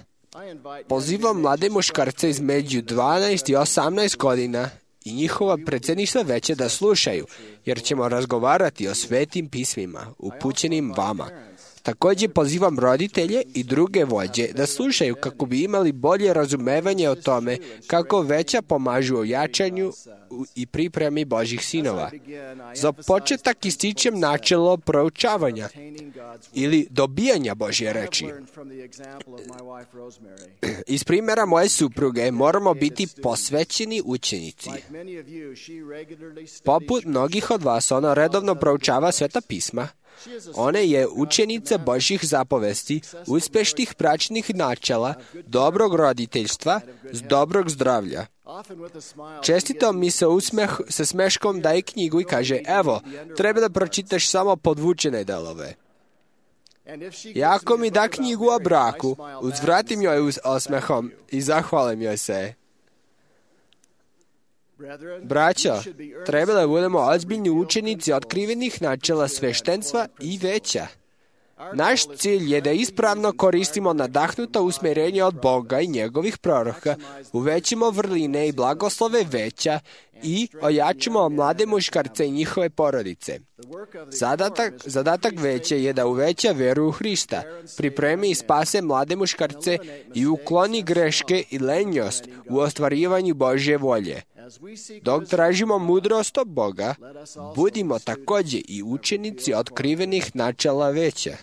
Pozivam mlade muškarce između 12 i 18 godina i njihova predsjedništva veće da slušaju, jer ćemo razgovarati o svetim pismima upućenim vama. Također pozivam roditelje i druge vođe da slušaju kako bi imali bolje razumevanje o tome kako veća pomažu u jačanju i pripremi Božjih sinova. Za početak ističem načelo proučavanja ili dobijanja Božje reči. Iz primjera moje supruge moramo biti posvećeni učenici. Poput mnogih od vas, ona redovno proučava Sveta pisma. Ona je učenica Božjih zapovesti, uspešnih bračnih načela, dobrog roditeljstva, dobrog zdravlja. Čestito mi se sa smeškom daje knjigu i kaže, evo, treba da pročitaš samo podvučene delove. I ako mi da knjigu o braku, uzvratim joj osmehom i zahvalim joj se. Braćo, treba da budemo ozbiljni učenici otkrivenih načela sveštenstva i veća. Naš cilj je da ispravno koristimo nadahnuto usmjerenje od Boga i njegovih proroka, uvećimo vrline i blagoslove veća i ojačimo mlade muškarce i njihove porodice. Zadatak veće je da uveća veru u Hrista, pripremi i spase mlade muškarce i ukloni greške i lenjost u ostvarivanju Božje volje. Dok tražimo mudrost od Boga, budimo također i učenici otkrivenih načela veća.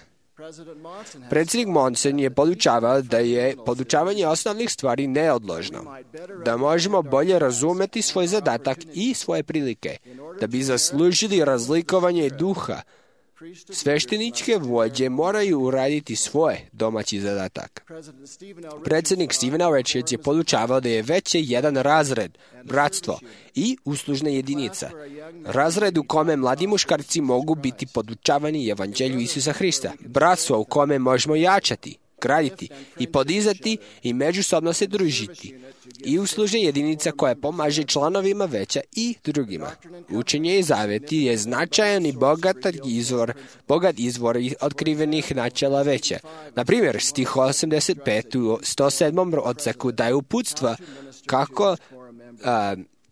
Predsjednik Monson je podučavao da je podučavanje osnovnih stvari neodložno, da možemo bolje razumeti svoj zadatak i svoje prilike, da bi zaslužili razlikovanje duha. Svešteničke vođe moraju uraditi svoje domaći zadatak. Predsjednik Stephen R. Richards je podučavao da je veće jedan razred, bratstvo i uslužna jedinica. Razred u kome mladi muškarci mogu biti podučavani evanđelju Isusa Hrista. Bratstvo u kome možemo jačati, graditi i podizati i međusobno se družiti i usluže jedinica koja pomaže članovima veća i drugima. Učenje i zaveti je značajan i bogat izvor otkrivenih načela veća. Na primjer, stih 85 u 107. odseku daje uputstva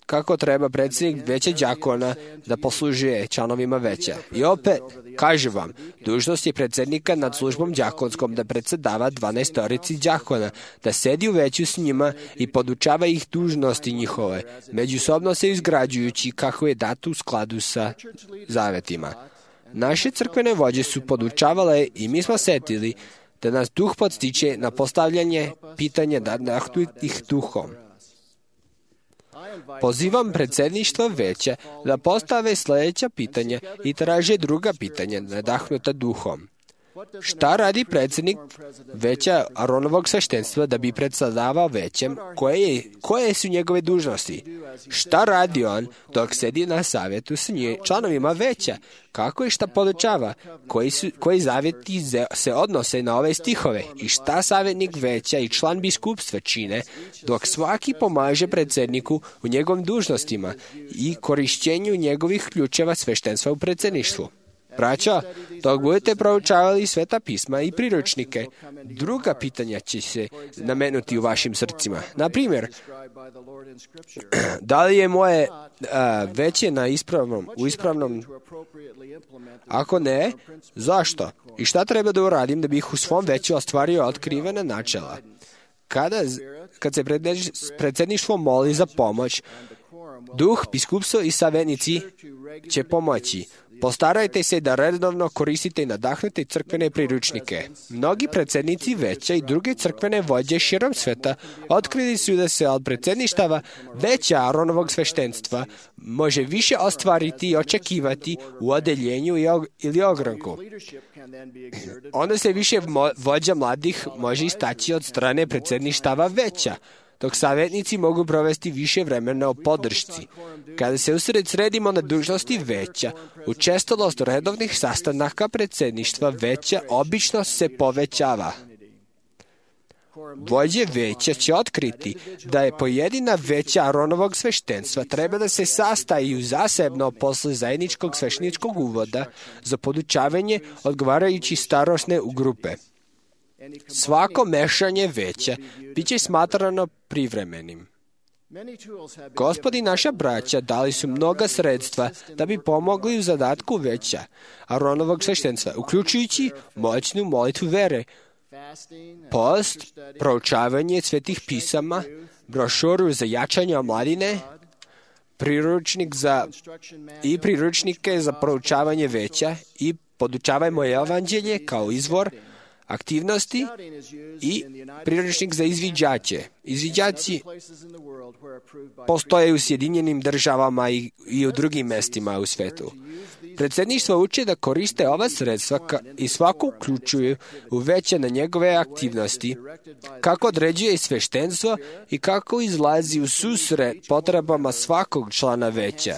kako treba predsjednik veća đakona da poslužuje članovima veća. I opet, kaže vam, dužnost je predsjednika nad službom đakonskom da predsjedava 12 đakona, da sedi u veću s njima i podučava ih dužnosti njihove, međusobno se izgrađujući kako je dato u skladu sa zavetima. Naše crkvene vođe su podučavale i mi smo setili da nas duh podstiče na postavljanje pitanja nadahnutih duhom. Pozivam predsjedništvo veća da postave sljedeća pitanja i traže druga pitanja nadahnuta duhom. Šta radi predsjednik veća Aronovog sveštenstva da bi predsjedavao većem? Koje su njegove dužnosti? Šta radi on dok sedi na savjetu s članovima veća? Kako i šta podučava? Koji zavjeti se odnose na ove stihove? I šta savjetnik veća i član biskupstva čine dok svaki pomaže predsjedniku u njegovim dužnostima i korišćenju njegovih ključeva sveštenstva u predsjedništvu? Braćo, dok budete proučavali Sveta pisma i priručnike, druga pitanja će se nametnuti u vašim srcima. Na primjer, da li je moje veće u ispravnom? Ako ne, zašto? I šta treba da uradim da bih u svom veću ostvario otkrivena načela? Kad se predsjedništvo moli za pomoć, duh, biskupstvo i savjetnici će pomoći. Postarajte se da redovno koristite i nadahnete crkvene priručnike. Mnogi predsjednici veća i druge crkvene vođe širom sveta otkrili su da se od predsjedništava veća Aronovog sveštenstva može više ostvariti i očekivati u odeljenju ili ogranku. Onda se više vođa mladih može istaći od strane predsjedništava veća, dok savjetnici mogu provesti više vremena o podršci. Kada se usredsredimo na dužnosti veća, učestalost redovnih sastanaka predsjedništva veća obično se povećava. Vođe veća će otkriti da je pojedina veća Aronovog sveštenstva treba da se sastaju zasebno posle zajedničkog svešteničkog uvoda za podučavanje odgovarajući starosne u grupe. Svako mešanje veća bit će smatrano privremenim. Gospod i naša braća dali su mnoga sredstva da bi pomogli u zadatku veća Aronovog sveštenstva, uključujući moćnu molitvu vere, post, proučavanje svetih pisama, brošuru za jačanje omladine, priručnike za proučavanje veća i podučavajmo evanđelje kao izvor aktivnosti i priručnik za izviđače. Izviđači postoje u Sjedinjenim državama i u drugim mestima u svetu. Predsjedništvo uče da koriste ova sredstva i svako uključuju u veće na njegove aktivnosti, kako određuje sveštenstvo i kako izlazi u susret potrebama svakog člana veća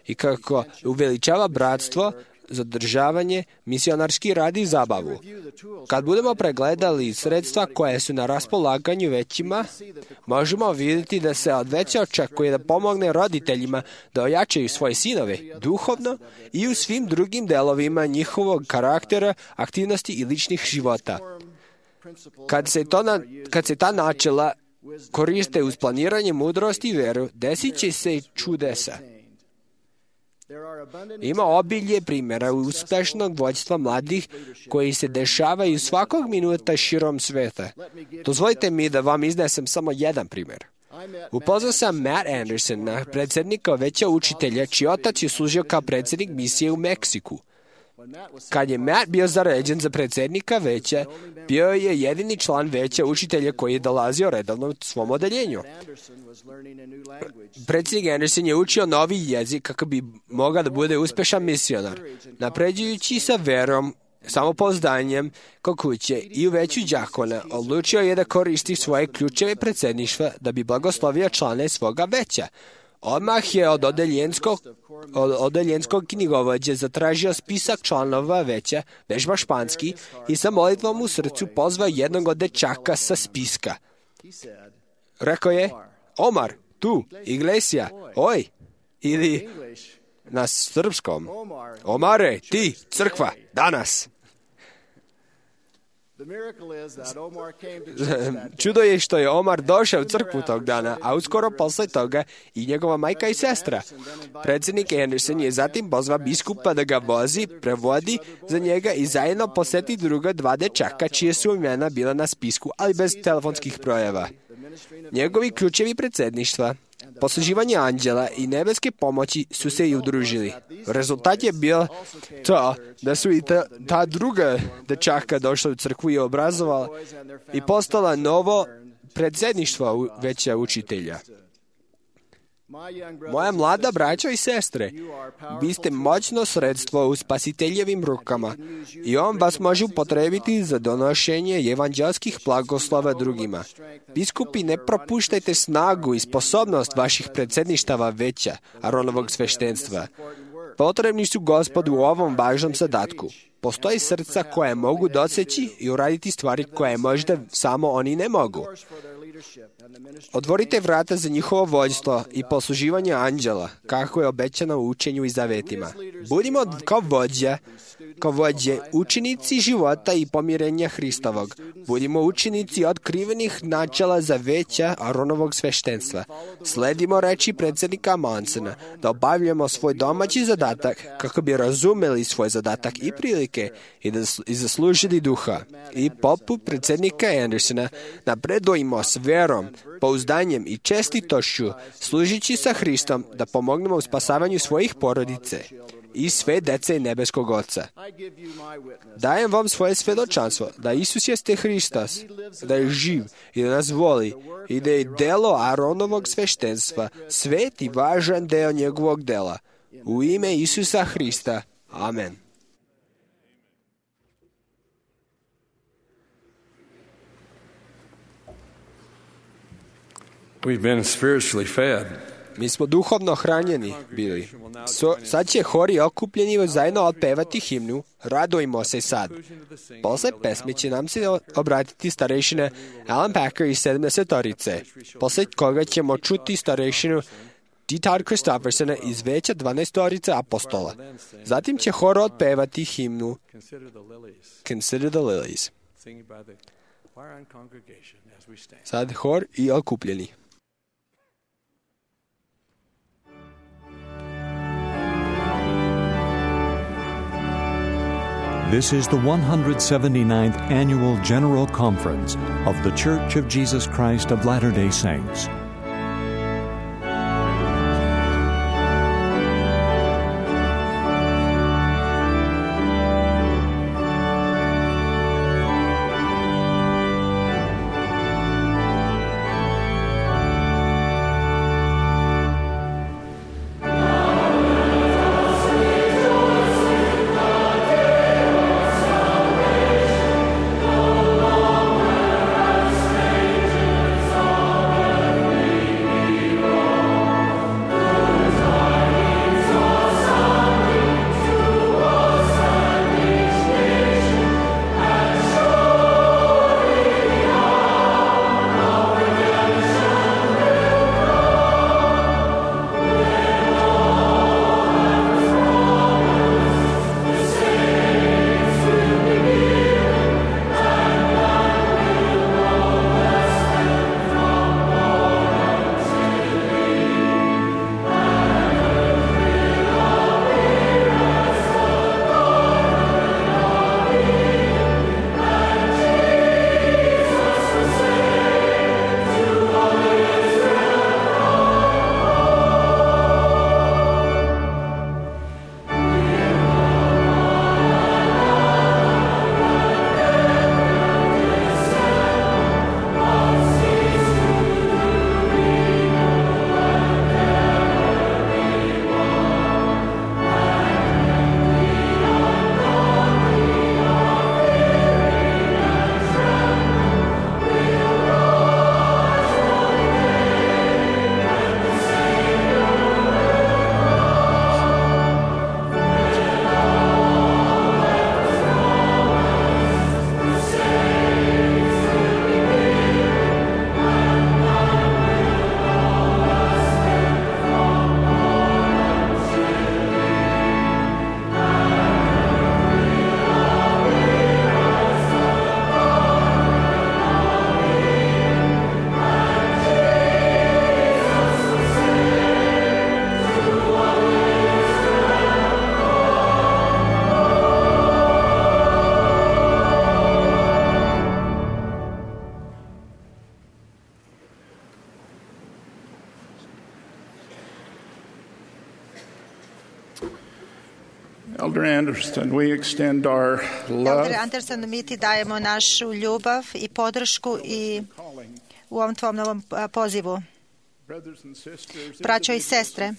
i kako uveličava bratstvo, zadržavanje, misionarski rad i zabavu. Kad budemo pregledali sredstva koje su na raspolaganju većima, možemo vidjeti da se od veća očekuje da pomogne roditeljima da ojačaju svoje sinove duhovno i u svim drugim delovima njihovog karaktera, aktivnosti i ličnih života. Kad se ta načela koriste uz planiranje mudrosti i veru, desit će se čudesa. Ima obilje primjera uspešnog vođstva mladih koji se dešavaju svakog minuta širom sveta. Dozvolite mi da vam iznesem samo jedan primjer. Upoznao sam Matt Andersona, predsjednika veća učitelja, čiji otac je služio kao predsjednik misije u Meksiku. Kad je Matt bio zaređen za predsjednika veća, bio je jedini član veća učitelja koji je dolazio redovno u svom odeljenju. Predsjednik Anderson je učio novi jezik kako bi mogao da bude uspešan misionar, napređujući sa verom, samopouzdanjem kod kuće i u veću đakona, odlučio je da koristi svoje ključeve predsjedništva da bi blagoslovio člane svoga veća. Odmah je od odeljenskog knjigovođe zatražio spisak članova veća, vežba španski, i sa molitvom u srcu pozvao jednog od dečaka sa spiska. Rekao je, Omar, tu, iglesia, oj, ili na srpskom, Omare, ti, crkva, danas. Čudo je što je Omar došao u crkvu tog dana, a uskoro posle toga i njegova majka i sestra. Predsjednik Anderson je zatim pozvao biskupa da ga vozi, prevodi za njega i zajedno poseti druga dva dečaka čije su imena bila na spisku, ali bez telefonskih brojeva. Njegovi ključevi predsjedništva, posluživanje anđela i nebeske pomoći su se i udružili. Rezultat je bio to da su i ta druga dečaka došla u crkvu i obrazovala i postala novo predsjedništvo veća učitelja. Moja mlada braćo i sestre, vi ste moćno sredstvo u spasiteljevim rukama i on vas može upotrebiti za donošenje evanđelskih blagoslova drugima. Biskupi, ne propuštajte snagu i sposobnost vaših predsjedništava veća, Aronovog sveštenstva. Potrebni su Gospodu u ovom važnom zadatku. Postoji srca koje mogu doseći i uraditi stvari koje možda samo oni ne mogu. Otvorite vrata za njihovo vođstvo i posluživanje anđela, kako je obećano u učenju i zavetima. Budimo kao vođe, učenici života i pomirenja Hristovog. Budimo učenici otkrivenih načela za veća Aronovog sveštenstva. Sledimo reči predsjednika Monsona da obavljamo svoj domaći zadatak kako bi razumeli svoj zadatak i prilike i zaslužili duha. I poput predsjednika Andersona napredujemo s verom, pouzdanjem i čestitošću, služići sa Hristom da pomognemo u spasavanju svojih porodice i sve dece nebeskog Oca. Dajem vam svoje svjedočanstvo da Isus jeste Hristos, da je živ i da nas voli i da je delo Aronovog sveštenstva svet i važan deo njegovog dela. U ime Isusa Hrista. Amen. We've been spiritually fed. Mi smo duhovno hranjeni bili. Sad će hori okupljeni zajedno otpevati himnu Radujmo se sad. Posle pesme će nam se obratiti starešina Alan Packer iz 70-orice, posle koga ćemo čuti starešinu D. Todd Christoffersona iz veća 12-orice apostola. Zatim će hor otpevati himnu Consider the Lilies. Sad hor i okupljeni. This is the 179th Annual General Conference of The Church of Jesus Christ of Latter-day Saints. Eldre Anderson, mi ti dajemo našu ljubav i podršku i u ovom tvom novom pozivu. Braćo i sestre,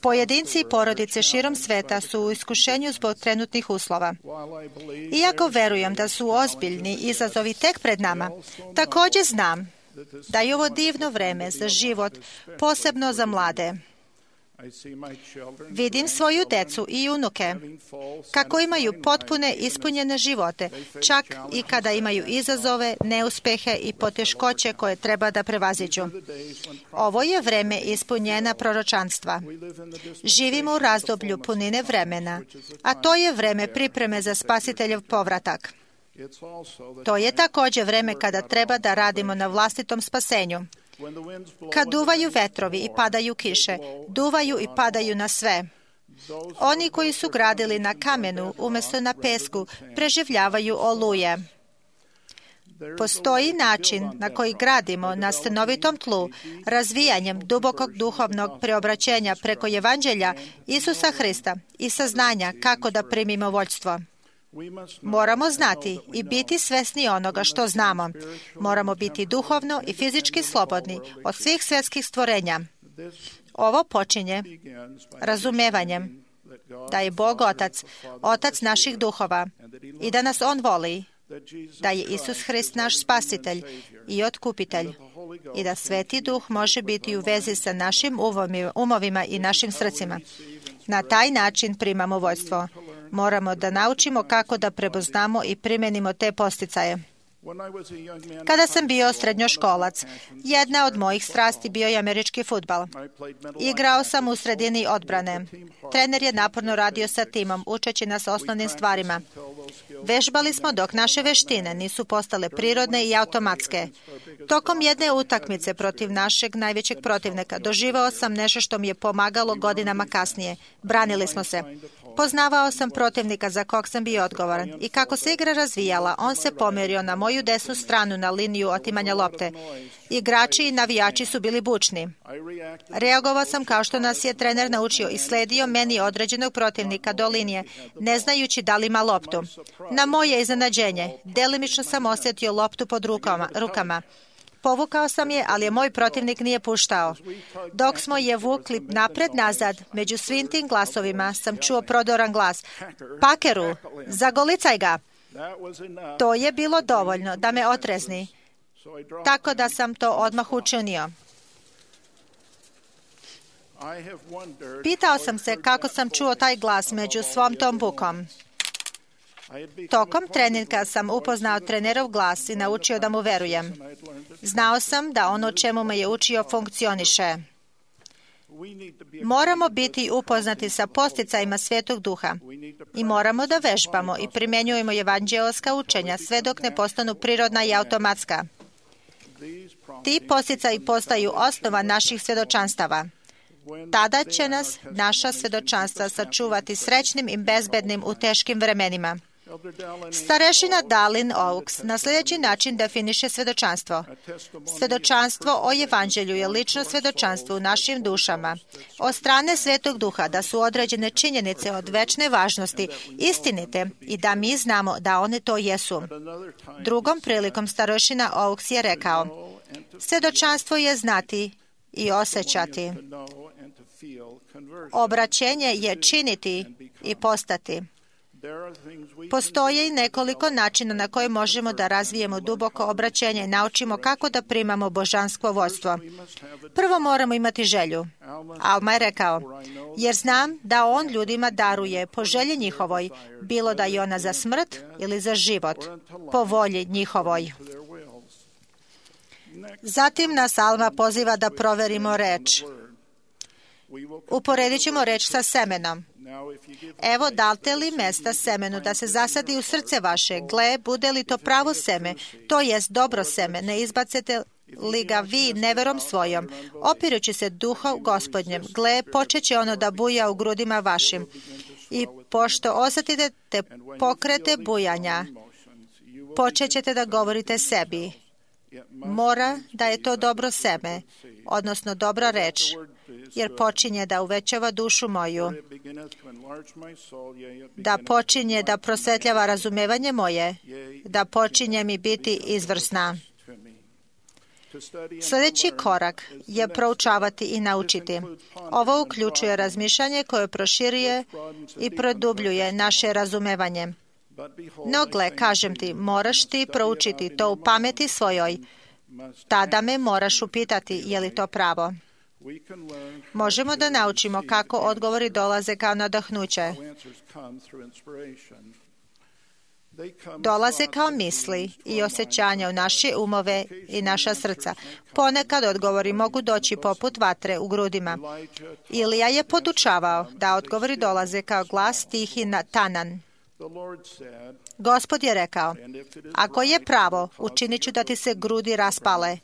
pojedinci i porodice širom sveta su u iskušenju zbog trenutnih uslova. Iako verujem da su ozbiljni izazovi tek pred nama, također znam da je ovo divno vreme za život, posebno za mlade. Vidim svoju decu i unuke kako imaju potpune ispunjene živote, čak i kada imaju izazove, neuspehe i poteškoće koje treba da prevaziđu. Ovo je vreme ispunjena proročanstva. Živimo u razdoblju punine vremena, a to je vreme pripreme za Spasiteljev povratak. To je također vreme kada treba da radimo na vlastitom spasenju. Kad duvaju vetrovi i padaju kiše, duvaju i padaju na sve. Oni koji su gradili na kamenu umjesto na pesku preživljavaju oluje. Postoji način na koji gradimo na stanovitom tlu razvijanjem dubokog duhovnog preobraćenja preko evanđelja Isusa Hrista i saznanja kako da primimo vođstvo. Moramo znati i biti svesni onoga što znamo. Moramo biti duhovno i fizički slobodni od svih svjetskih stvorenja. Ovo počinje razumevanjem da je Bog Otac, Otac naših duhova i da nas On voli, da je Isus Hrist naš Spasitelj i Otkupitelj i da Sveti Duh može biti u vezi sa našim umovima i našim srcima. Na taj način primamo vođstvo. Moramo da naučimo kako da prepoznamo i primenimo te posticaje. Kada sam bio srednjoškolac, jedna od mojih strasti bio je američki fudbal. Igrao sam u sredini odbrane. Trener je naporno radio sa timom, učeći nas osnovnim stvarima. Vežbali smo dok naše veštine nisu postale prirodne i automatske. Tokom jedne utakmice protiv našeg najvećeg protivnika doživao sam nešto što mi je pomagalo godinama kasnije. Branili smo se. Poznavao sam protivnika za kog sam bio odgovoran i kako se igra razvijala, on se pomerio na moju desnu stranu na liniju otimanja lopte. Igrači i navijači su bili bučni. Reagovao sam kao što nas je trener naučio i sledio meni određenog protivnika do linije, ne znajući da li ima loptu. Na moje iznenađenje, delimično sam osjetio loptu pod rukama. Povukao sam je, ali je moj protivnik nije puštao. Dok smo je vukli napred-nazad, među svim tim glasovima sam čuo prodoran glas. Pakeru, zagolicaj ga! To je bilo dovoljno da me otrezni, tako da sam to odmah učinio. Pitao sam se kako sam čuo taj glas među svom tom bukom. Tokom treninga sam upoznao trenerov glas i naučio da mu verujem. Znao sam da ono čemu me je učio funkcioniše. Moramo biti upoznati sa posticajima Svetog Duha i moramo da vežbamo i primjenjujemo evanđeoska učenja sve dok ne postanu prirodna i automatska. Ti posticaji postaju osnova naših svjedočanstava. Tada će nas naša svjedočanstva sačuvati srećnim i bezbednim u teškim vremenima. Starešina Dallin Oaks na sljedeći način definiše svjedočanstvo. Svjedočanstvo o evanđelju je lično svjedočanstvo u našim dušama od strane Svetog Duha da su određene činjenice od večne važnosti istinite i da mi znamo da one to jesu. Drugom prilikom starešina Oaks je rekao: svjedočanstvo je znati i osjećati. Obraćenje je činiti i postati. Postoje i nekoliko načina na koje možemo da razvijemo duboko obraćenje i naučimo kako da primamo božansko vodstvo. Prvo moramo imati želju. Alma je rekao: jer znam da on ljudima daruje po želji njihovoj, bilo da je ona za smrt ili za život, po volji njihovoj. Zatim nas Alma poziva da proverimo reč. Uporedit ćemo reč sa semenom. Evo, date li mesta semenu da se zasadi u srce vaše? Gle, bude li to pravo seme, to jest dobro seme, ne izbacete li ga vi neverom svojom, opirući se duhu Gospodnjem? Gle, počeće ono da buja u grudima vašim. I pošto osjetite te pokrete bujanja, počećete da govorite sebi. Mora da je to dobro seme, odnosno dobra reč. jer počinje da uvećava dušu moju, da počinje da prosvetljava razumevanje moje, da počinje mi biti izvrsna. Sljedeći korak je proučavati i naučiti. Ovo uključuje razmišljanje koje proširuje i produbljuje naše razumevanje. No gle, kažem ti, moraš ti proučiti to u pameti svojoj. Tada me moraš upitati je li to pravo. Možemo da naučimo kako odgovori dolaze kao nadahnuće. Dolaze kao misli i osjećanja u naše umove i naša srca. Ponekad odgovori mogu doći poput vatre u grudima. Ilija je podučavao da odgovori dolaze kao glas tih i tanan. Gospod je rekao, ako je pravo, učinit ću da ti se grudi raspale.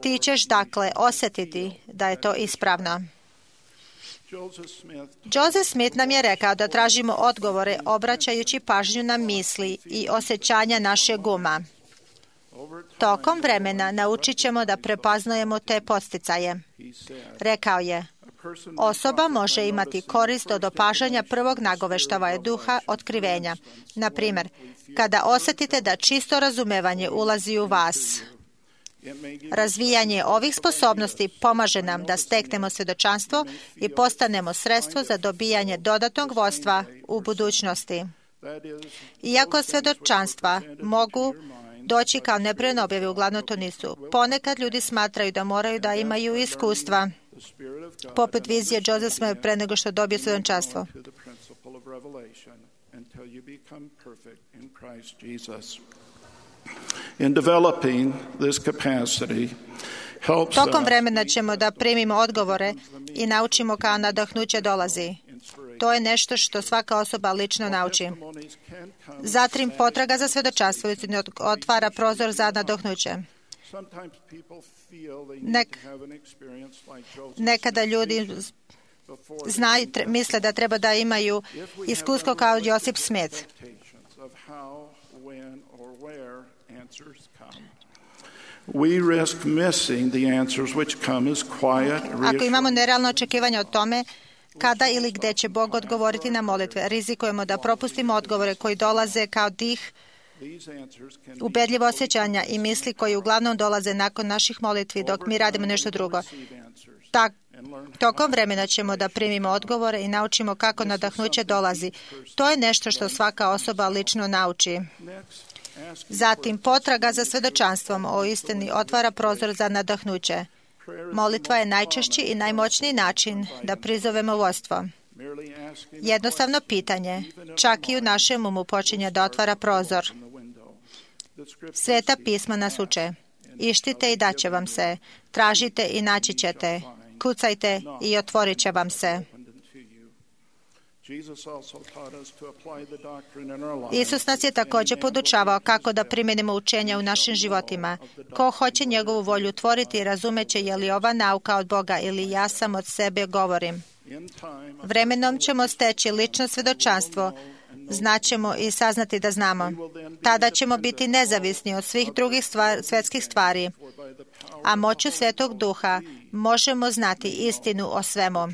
Ti ćeš dakle osjetiti da je to ispravno. Joseph Smith nam je rekao da tražimo odgovore obraćajući pažnju na misli i osjećanja našeg uma. Tokom vremena naučit ćemo da prepoznajemo te podsticaje. Rekao je, osoba može imati korist od opažanja prvog nagoveštavanja duha otkrivenja. Na primjer, kada osjetite da čisto razumevanje ulazi u vas. Razvijanje ovih sposobnosti pomaže nam da steknemo svjedočanstvo i postanemo sredstvo za dobijanje dodatnog vodstva u budućnosti. Iako svjedočanstva mogu doći kao neprestane objave, uglavnom to nisu. Ponekad ljudi smatraju da moraju da imaju iskustva, poput vizije Joseph Smith pre nego što dobije svjedočanstvo. Tokom vremena ćemo da primimo odgovore i naučimo kao nadahnuće dolazi. To je nešto što svaka osoba lično nauči. Zatim potraga za svjedočanstvo otvara prozor za nadahnuće. Nekada ljudi misle da treba da imaju iskustvo kao Joseph Smith. Ako imamo nerealno očekivanje o tome kada ili gde će Bog odgovoriti na molitve, rizikujemo da propustimo odgovore koji dolaze kao dih, ubedljivo osjećanja i misli koji uglavnom dolaze nakon naših molitvi dok mi radimo nešto drugo. Tokom vremena ćemo da primimo odgovore i naučimo kako nadahnuće dolazi. To je nešto što svaka osoba lično nauči. Zatim, potraga za svjedočanstvom o istini otvara prozor za nadahnuće. Molitva je najčešći i najmoćniji način da prizovemo vodstvo. Jednostavno pitanje, čak i u našem umu počinje da otvara prozor. Sveta pisma nas uče. Ištite i daće vam se. Tražite i naći ćete. Kucajte i otvorit će vam se. Isus nas je također podučavao kako da primjenimo učenja u našim životima. Ko hoće njegovu volju tvoriti, razumeće je li ova nauka od Boga ili ja sam od sebe govorim. Vremenom ćemo steći lično svjedočanstvo, znaćemo i saznati da znamo. Tada ćemo biti nezavisni od svih drugih svjetskih stvari, a moću Svetog Duha možemo znati istinu o svemu.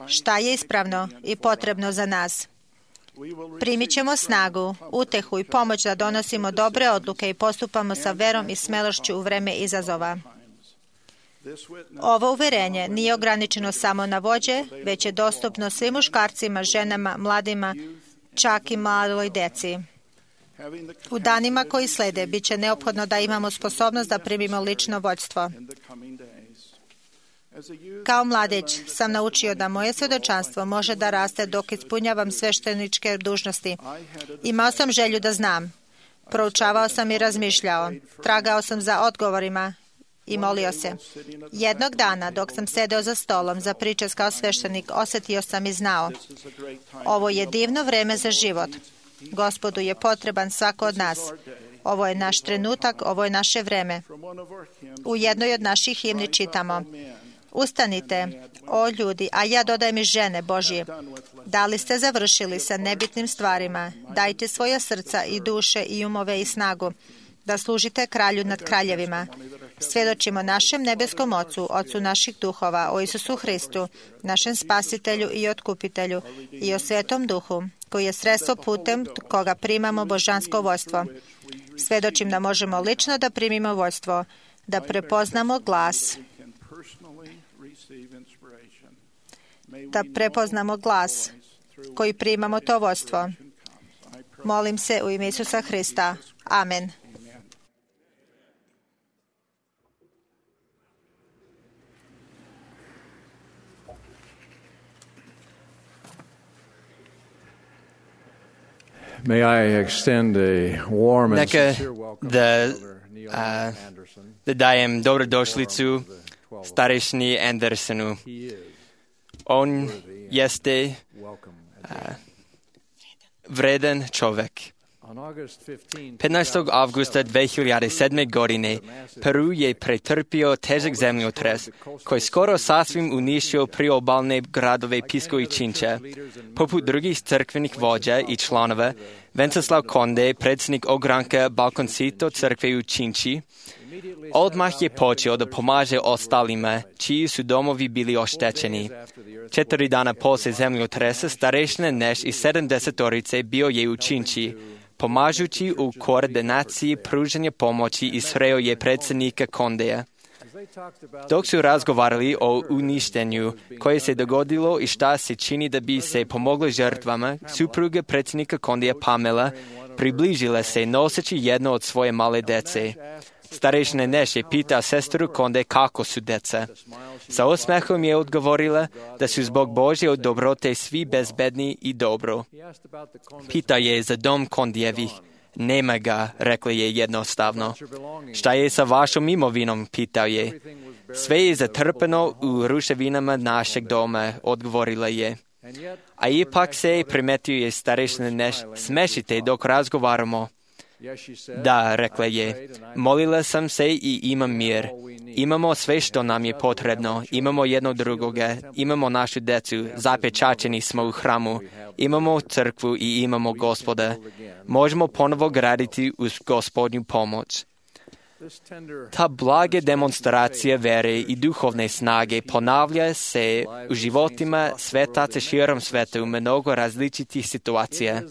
Šta je ispravno i potrebno za nas. Primit ćemo snagu, utehu i pomoć da donosimo dobre odluke i postupamo sa verom i smelošću u vreme izazova. Ovo uverenje nije ograničeno samo na vođe, već je dostupno svim muškarcima, ženama, mladima, čak i maloj deci. U danima koji slede bit će neophodno da imamo sposobnost da primimo lično vođstvo. Kao mladić sam naučio da moje svjedočanstvo može da raste dok ispunjavam svešteničke dužnosti. Imao sam želju da znam. Proučavao sam i razmišljao. Tragao sam za odgovorima i molio se. Jednog dana, dok sam sedeo za stolom za pričas kao sveštenik, osjetio sam i znao. Ovo je divno vreme za život. Gospodu je potreban svako od nas. Ovo je naš trenutak, ovo je naše vreme. U jednoj od naših himni čitamo: Ustanite, o ljudi, a ja dodajem i žene Božje. Da li ste završili sa nebitnim stvarima? Dajte svoja srca i duše i umove i snagu, da služite kralju nad kraljevima. Svjedočimo našem nebeskom Ocu, Ocu naših duhova, o Isusu Hristu, našem Spasitelju i Otkupitelju, i o Svetom Duhu, koji je sredstvo putem koga primamo božansko vodstvo. Svjedočim da možemo lično da primimo vodstvo, da prepoznamo glas, koji primamo to vodstvo. Molim se u ime Isusa Hrista. Amen. May I extend a warm and Neka sincere welcome da dajem dobrodošlicu starešni Andersonu. On jeste vredan čovjek. 15. avgusta 2007. godine Peru je pretrpio težak zemljotres koji skoro sasvim uništio priobalne gradove Pisco i Chincha. Poput drugih crkvenih vođa i članova, Venceslav Conde, predsjednik ogranka Balconcito crkve u Chinchi, odmah je počeo da pomaže ostalima čiji su domovi bili oštećeni. 4 dana poslije zemljotresa starešina Neš i 70-orice bio je u Chinchi. Pomažući u koordinaciji pružanja pomoći i sreo je predsjednika Condeja. Dok su razgovarali o uništenju koje se dogodilo i šta se čini da bi se pomoglo žrtvama, supruga predsjednika Condeja Pamela približila se noseći jedno od svoje male dece. Starešina Neš je pitao sestru Conde kako su deca. Sa osmehom je odgovorila da su zbog Božje dobrote svi bezbedni i dobro. Pitao je za dom Condijevih. Nema ga, rekla je jednostavno. Šta je sa vašom imovinom, pitao je. Sve je zatrpano u ruševinama našeg doma, odgovorila je. A ipak se primetio je starešina Neš, smešite dok razgovaramo. Da, rekla je, molila sam se i imam mir. Imamo sve što nam je potrebno, imamo jedno drugoga, imamo našu decu, zapečaćeni smo u hramu, imamo crkvu i imamo Gospoda. Možemo ponovo graditi uz Gospodnju pomoć. Ta blaga demonstracija vere i duhovne snage ponavlja se u životima svetaca širom sveta u mnogo različitih situacija.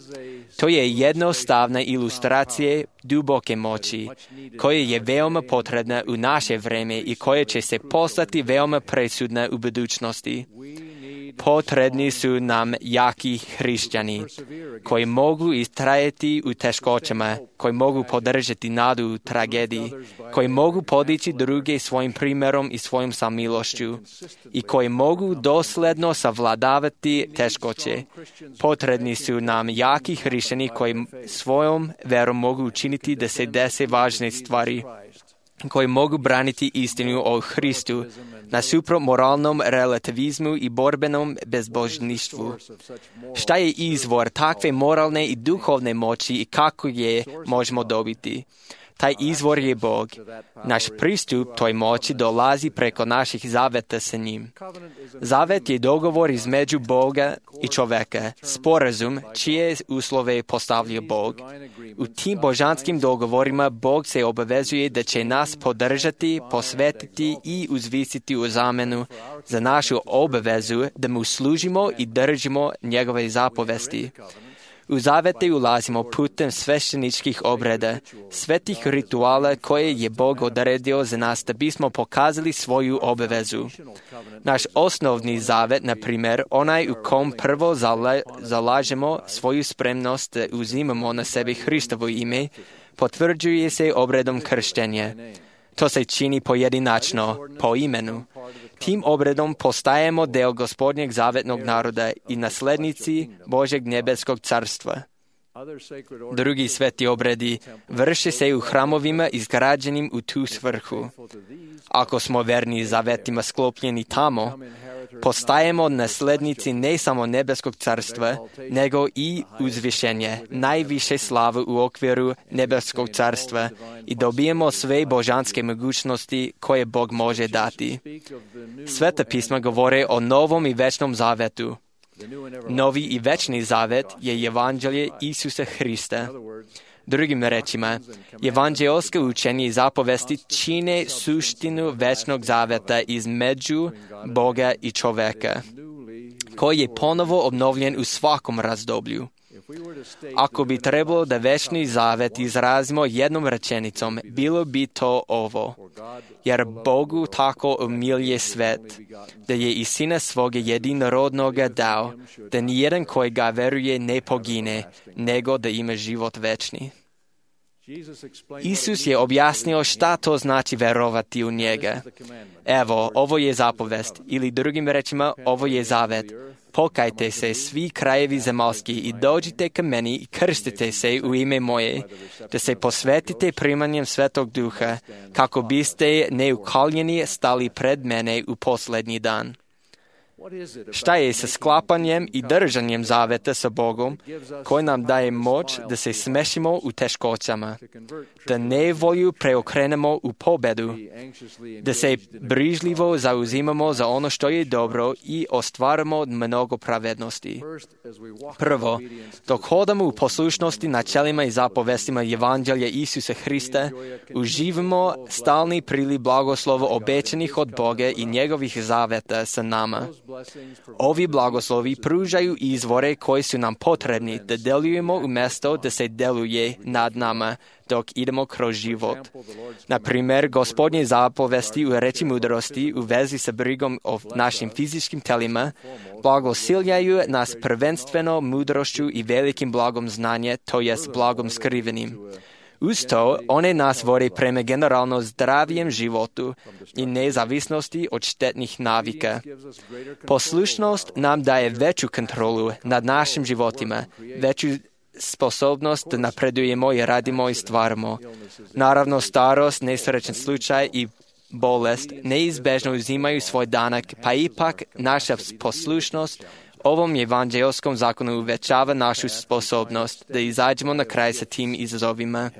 To je jednostavna ilustracija duboke moći, koja je veoma potrebna u naše vreme i koja će se postati veoma presudna u budućnosti. Potrebni su nam jaki hrišćani, koji mogu istrajati u teškoćama, koji mogu podržati nadu u tragediji, koji mogu podići druge svojim primjerom i svojom samilošću i koji mogu dosledno savladavati teškoće. Potrebni su nam jaki hrišćani koji svojom verom mogu učiniti da se dese važne stvari, koji mogu braniti istinu o Hristu nasuprot moralnom relativizmu i borbenom bezbožništvu. Šta je izvor takve moralne i duhovne moći i kako je možemo dobiti? Taj izvor je Bog. Naš pristup toj moći dolazi preko naših zaveta sa njim. Zavet je dogovor između Boga i čoveka, sporazum čije uslove postavlja Bog. U tim božanskim dogovorima Bog se obavezuje da će nas podržati, posvetiti i uzvisiti u zamenu za našu obavezu da mu služimo i držimo njegove zapovesti. U zavete ulazimo putem svešteničkih obreda, svetih rituala koje je Bog odredio za nas da bismo pokazali svoju obavezu. Naš osnovni zavet, na primjer, onaj u kom prvo zalažemo svoju spremnost da uzimamo na sebe Hristovo ime, potvrđuje se obredom krštenja. To se čini pojedinačno, po imenu. Tim obredom postajemo deo Gospodnjeg zavetnog naroda i naslednici Božeg nebeskog carstva. Drugi sveti obredi vrše se u hramovima izgrađenim u tu svrhu. Ako smo verni zavetima sklopljeni tamo, postajemo naslednici ne samo nebeskog carstva, nego i uzvišenje, najviše slave u okviru nebeskog carstva i dobijemo sve božanske mogućnosti koje Bog može dati. Sveta pisma govore o novom i večnom zavetu. Novi i večni zavet je evanđelje Isusa Hrista. Drugim rečima, evanđelsko učenje i zapovesti čine suštinu večnog zaveta između Boga i čoveka, koji je ponovo obnovljen u svakom razdoblju. Ako bi trebalo da večni zavet izrazimo jednom rečenicom, bilo bi to ovo. Jer Bogu tako umilje svet, da je i Sina svoga jedinorodnoga dao, da nijedan koji ga veruje ne pogine, nego da ima život večni. Isus je objasnio šta to znači verovati u njega. Evo, ovo je zapovest, ili drugim rečima, ovo je zavet. Pokajte se svi krajevi zemaljski i dođite ka meni i krstite se u ime moje, da se posvetite primanjem Svetog Duha, kako biste neukaljeni stali pred mene u posljednji dan. Šta je sa sklapanjem i držanjem zaveta sa Bogom, koji nam daje moć da se smešimo u teškoćama, da nevolju preokrenemo u pobedu, da se brižljivo zauzimamo za ono što je dobro i ostvarimo mnogo pravednosti. Prvo, dok hodamo u poslušnosti načelima i zapovestima Evanđelja Isusa Hrista, uživamo stalni priliv blagoslova obećanih od Boga i njegovih zaveta sa nama. Ovi blagoslovi pružaju izvore koji su nam potrebni da delujemo umjesto da se deluje nad nama dok idemo kroz život. Na primjer, Gospodnje zapovesti u reči mudrosti u vezi sa brigom o našim fizičkim telima blagosiljaju nas prvenstveno mudrošću i velikim blagom znanja, to jest blagom skrivenim. Uz to, one nas vode prema generalno zdravijem životu i nezavisnosti od štetnih navika. Poslušnost nam daje veću kontrolu nad našim životima, veću sposobnost da napredujemo i radimo i stvaramo. Naravno, starost, nesrećen slučaj i bolest neizbežno uzimaju svoj danak, pa ipak naša poslušnost ovom evanđelskom zakonu uvećava našu sposobnost da izađemo na kraj sa tim izazovima.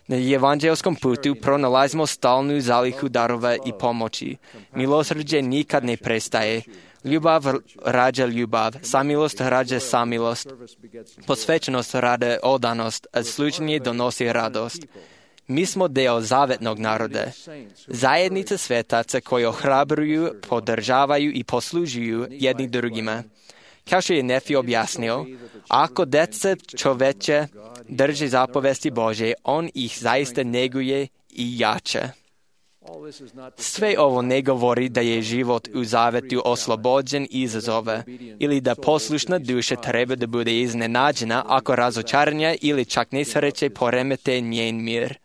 Na evanđelskom putu pronalazimo stalnu zalihu darova i pomoći. Milosrđe nikad ne prestaje. Ljubav rađa ljubav, samilost rađa samilost. Posvećenost rađa odanost, a služenje donosi radost. Mi smo deo zavetnog naroda, zajednica svetaca koji ohrabruju, podržavaju i poslužuju jedni drugima. Kao što je Nefi objasnio, ako deca čoveče drže zapovesti Bože, on ih zaista neguje i jača. Sve ovo ne govori da je život u zavetu oslobođen izazova ili da poslušna duša treba da bude iznenađena ako razočaranja ili čak nesreće poremete njen mir.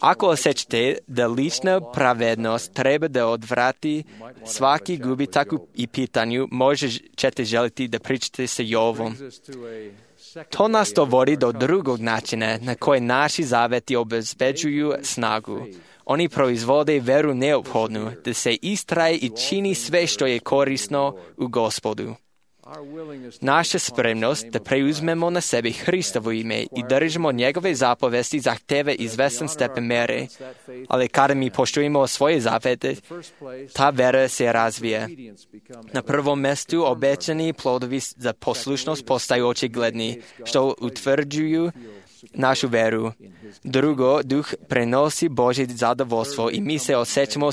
Ako osjećate da lična pravednost treba da odvrati svaki gubitak i pitanju, možete želiti da pričate sa Jovom. To nas dovodi do drugog načina na koji naši zaveti obezbeđuju snagu. Oni proizvode veru neophodnu da se istraje i čini sve što je korisno u Gospodu. Naša spremnost da preuzmemo na sebi Hristovo ime i držimo njegove zapovesti zahteva izvestan stepen mere, ali kada mi poštujemo svoje zavete, ta vera se razvija. Na prvom mjestu obećani plodovi za poslušnost postaju očigledni, što utvrđuju našu veru. Drugo, duh prenosi Božje zadovoljstvo i mi se osjećamo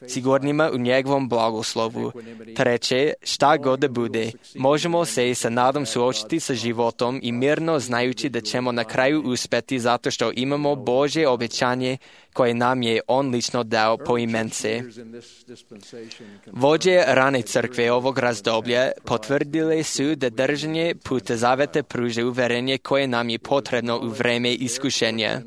sigurnima u njegovom blagoslovu. Treće, šta god da bude, možemo se sa nadom suočiti sa životom i mirno znajući da ćemo na kraju uspjeti zato što imamo Božje obećanje koje nam je on lično dao po imence. Vođe rane crkve ovog razdoblja potvrdile su da držanje puta zaveta pruža uverenje koje nam je potrebno u vreme iskušenja.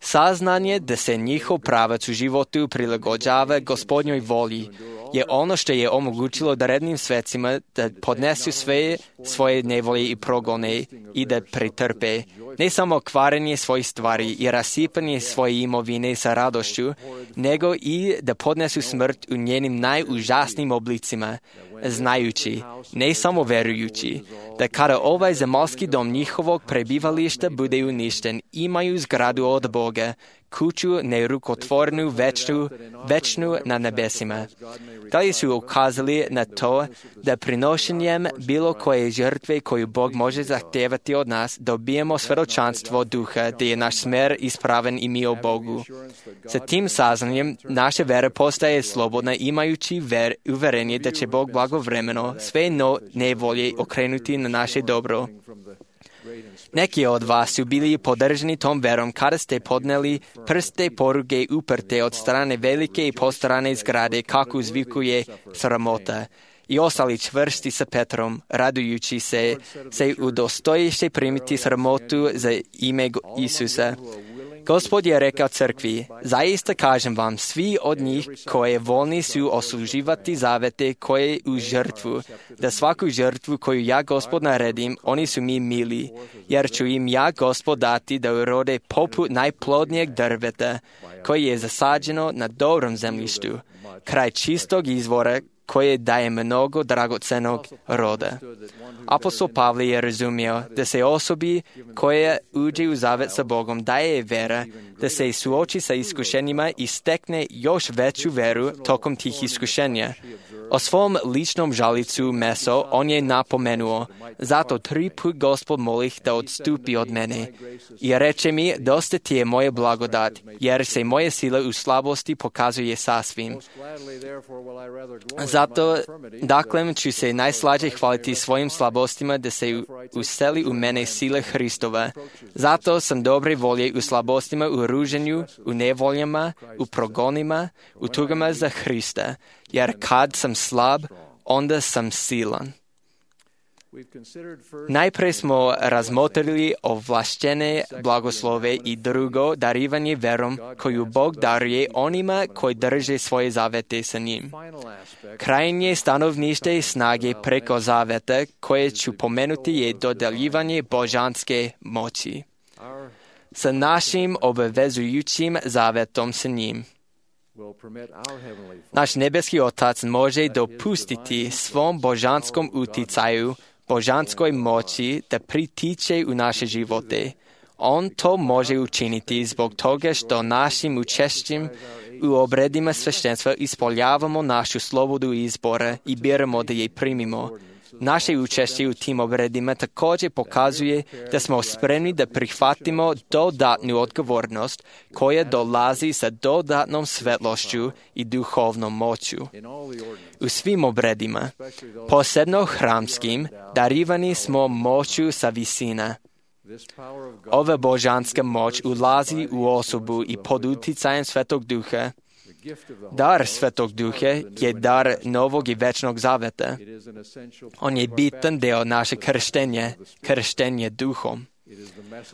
Saznanje da se njihov pravac u životu prilagođava Gospodnjoj volji je ono što je omogućilo darednim svecima da podnesu sve svoje nevolje i progone i da pretrpe ne samo kvarenje svojih stvari i rasipanje svoje imovine sa radošću, nego i da podnesu smrt u njenim najužasnijim oblicima, znajući, ne samo verujući, da kada ovaj zemaljski dom njihovog prebivališta bude uništen, imaju zgradu od Boga, kuću nerukotvornu večnu na nebesima. Da li su ukazali na to da prinošenjem bilo koje žrtve koju Bog može zahtijevati od nas, dobijemo svjedočanstvo duha, da je naš smer ispraven i mi o Bogu. Sa tim saznanjem naša vera postaje slobodna, imajući uverenje da će Bog blagovremeno sve nevolje okrenuti na naše dobro. Neki od vas su bili podržani tom verom kada ste podneli prste poruge uprte od strane velike i postarane zgrade, kako uzvikuje sramota, i ostali čvrsti sa Petrom, radujući se udostojiše primiti sramotu za ime Isusa. Gospod je rekao crkvi, zaista kažem vam, svi od njih koje voljni su osluživati zavete koje u žrtvu, da svaku žrtvu koju ja Gospod naredim, oni su mi mili, jer ću im ja Gospod dati da urode poput najplodnijeg drveta, koje je zasađeno na dobrom zemljištu, kraj čistog izvora koje daje mnogo dragocenog roda. Apostol Pavle je razumio da se osobi koja uđe u zavet sa Bogom daje vera, da se suoči sa iskušenjima i stekne još veću veru tokom tih iskušenja. O svom ličnom žalicu meso on je napomenuo, zato 3 put Gospod molih da odstupi od mene. I reče mi, dosta ti je moje blagodat, jer se moje sile u slabosti pokazuje sasvim. Zato, dakle, ću se najslađe hvaliti svojim slabostima da se useli u mene sile Hristova. Zato sam dobre volje u slabostima, u ruženju, u nevoljama, u progonima, u tugama za Hrista. Jer kad sam slab, onda sam silan. Najprije smo razmotrili ovlaštene blagoslove i drugo darivanje verom koju Bog daruje onima koji drže svoje zavete sa njim. Krajnje stanovnište snage preko zaveta koje ću pomenuti je dodeljivanje božanske moći. Sa našim obvezujućim zavetom sa njim. Naš nebeski Otac može dopustiti svom božanskom uticaju, božanskoj moći da pritiče u naše živote. On to može učiniti zbog toga što našim učešćem u obredima sveštenstva ispoljavamo našu slobodu izbora i biramo da je primimo. Naše učešće u tim obredima također pokazuje da smo spremni da prihvatimo dodatnu odgovornost koja dolazi sa dodatnom svetlošću i duhovnom moću. U svim obredima, posebno hramskim, darivani smo moću sa visina. Ova božanska moć ulazi u osobu i pod uticajem Svetog Duha. Dar Svetog Duha je dar novog i večnog zaveta. On je bitan deo naše krštenje duhom.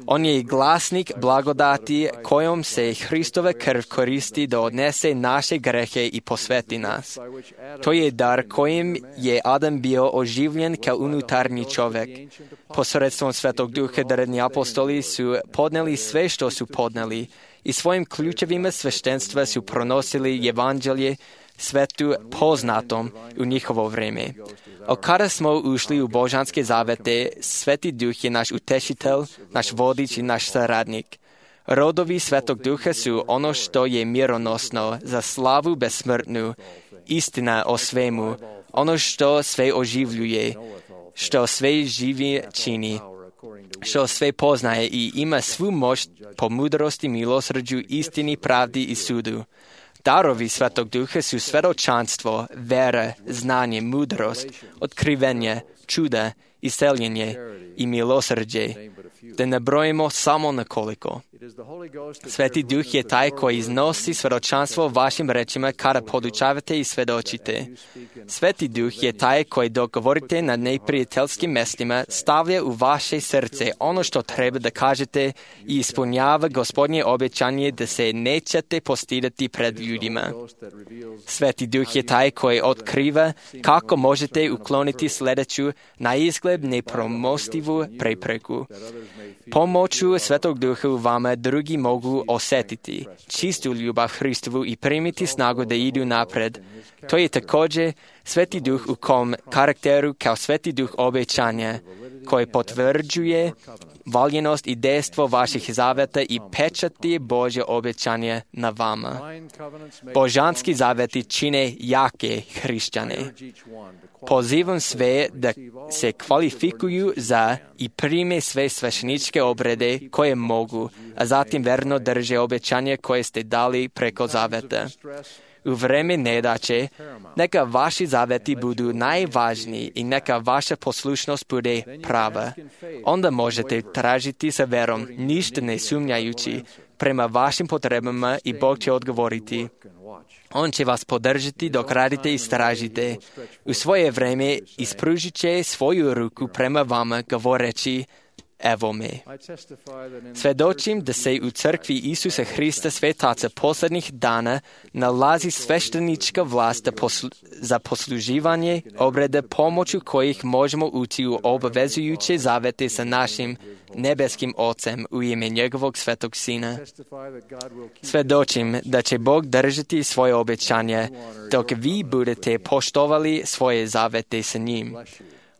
On je i glasnik blagodati kojom se Hristova krv koristi da odnese naše grehe i posveti nas. To je dar kojim je Adam bio oživljen kao unutarnji čovjek. Posredstvom Svetog Duha drevni apostoli su podneli sve što su podneli i svojim ključevima sveštenstva su pronosili evanđelje svetu poznatom u njihovo vrijeme. A kada smo ušli u božanske zavete, Sveti Duh je naš utešitelj, naš vodič i naš saradnik. Rodovi Svetog Duha su ono što je mironosno, za slavu besmrtnu, istina o svemu, ono što sve oživljuje, što sve živi čini, što sve poznaje i ima svu moć po mudrosti, milosrđu, istini, pravdi i sudu. Darovi Svetog Duha su svjedočanstvo, vera, znanje, mudrost, otkrivenje, čuda, isceljenje i milosrđe. Da ne brojimo samo nekoliko. Sveti Duh je taj koji iznosi svjedočanstvo vašim rečima kada podučavate i svjedočite. Sveti Duh je taj koji dok govorite na neprijateljskim mjestima stavlja u vaše srce ono što treba da kažete i ispunjava Gospodnje obećanje da se nećete postidati pred ljudima. Sveti Duh je taj koji otkriva kako možete ukloniti sljedeću na izgled nepromostivu prepreku. Pomoću Svetog Duha u vama drugi mogu osjetiti čistu ljubav Hristovu i primiti snagu da idu napred. To je također Sveti Duh u kom karakteru kao Sveti Duh obećanja koji potvrđuje valjenost i dejstvo vaših zaveta i pečati Božje obećanje na vama. Božanski zaveti čine jake hrišćane. Pozivam sve da se kvalifikuju za i prime sve svešteničke obrede koje mogu, a zatim verno drže obećanje koje ste dali preko zaveta. U vreme nedaće, neka vaši zaveti budu najvažniji i neka vaša poslušnost bude prava. Onda možete tražiti sa verom, ništa ne sumnjajući, prema vašim potrebama i Bog će odgovoriti. On će vas podržati dok radite i istražite. U svoje vreme ispružit će svoju ruku prema vama govoreći, evo me. Svedočim da se u crkvi Isusa Hrista Svetaca posljednjih dana nalazi sveštenička vlast za posluživanje obreda pomoću kojih možemo ući u obavezujuće zavete sa našim nebeskim Ocem u ime njegovog svetog Sina. Svedočim da će Bog držati svoje obećanje dok vi budete poštovali svoje zavete sa njim.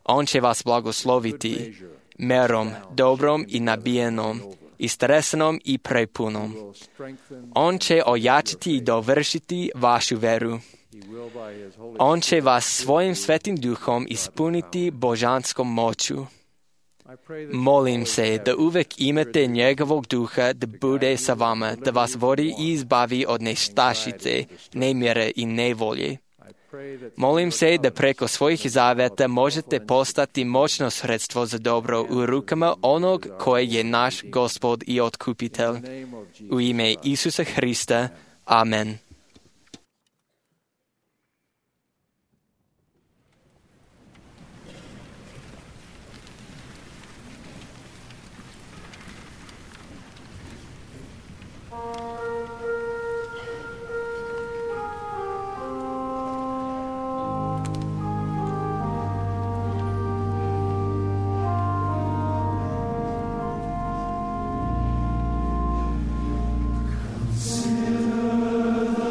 On će vas blagosloviti merom, dobrom i nabijenom, istresanom i prepunom. On će ojačati i dovršiti vašu veru. On će vas svojim svetim duhom ispuniti božanskom moću. Molim se da uvek imate njegovog duha da bude sa vama, da vas vodi i izbavi od nestašice, nemire i nevolje. Molim se da preko svojih zaveta možete postati moćno sredstvo za dobro u rukama onog koji je naš Gospod i Otkupitelj. U ime Isusa Hrista. Amen. Consider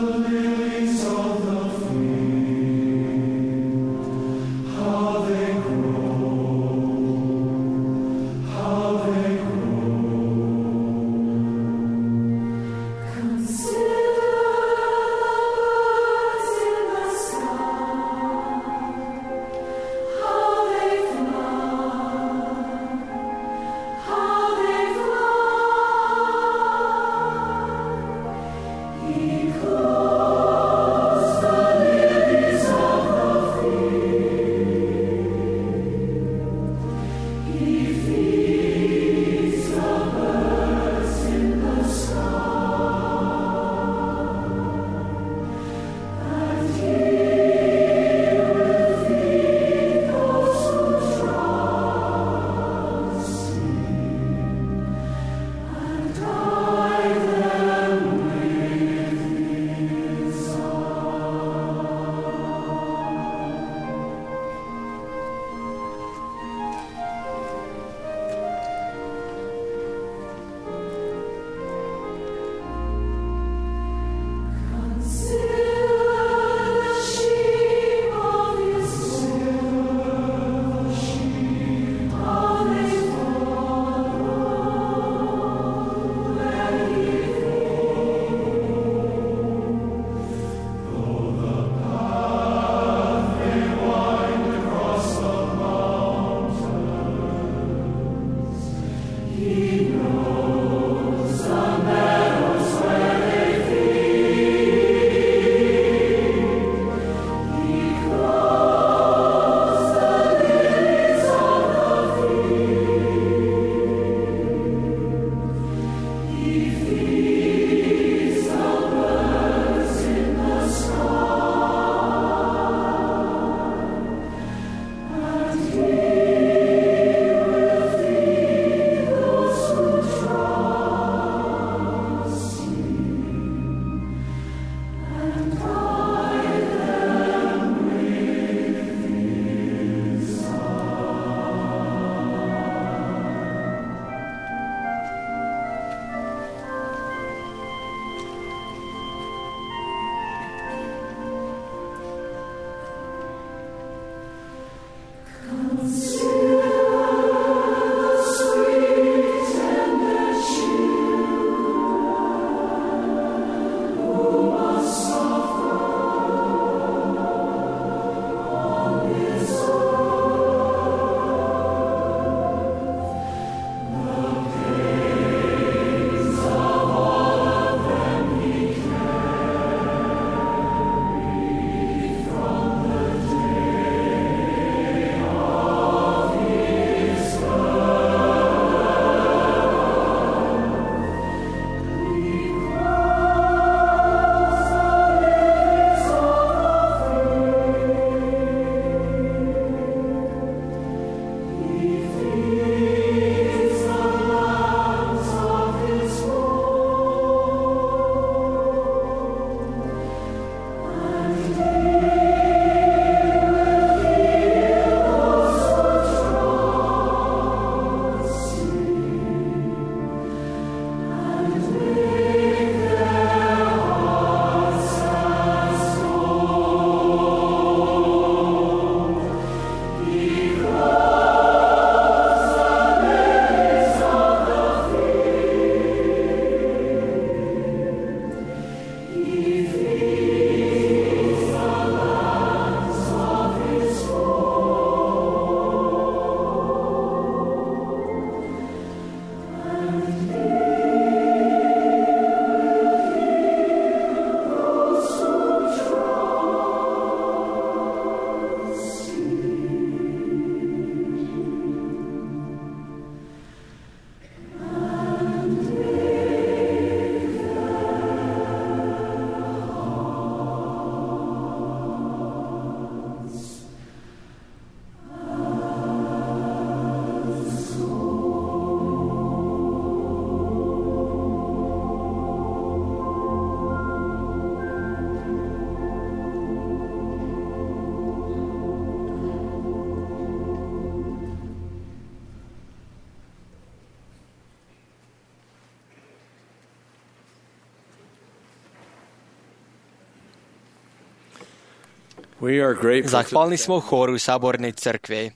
Zahvalni smo horu Saborne crkve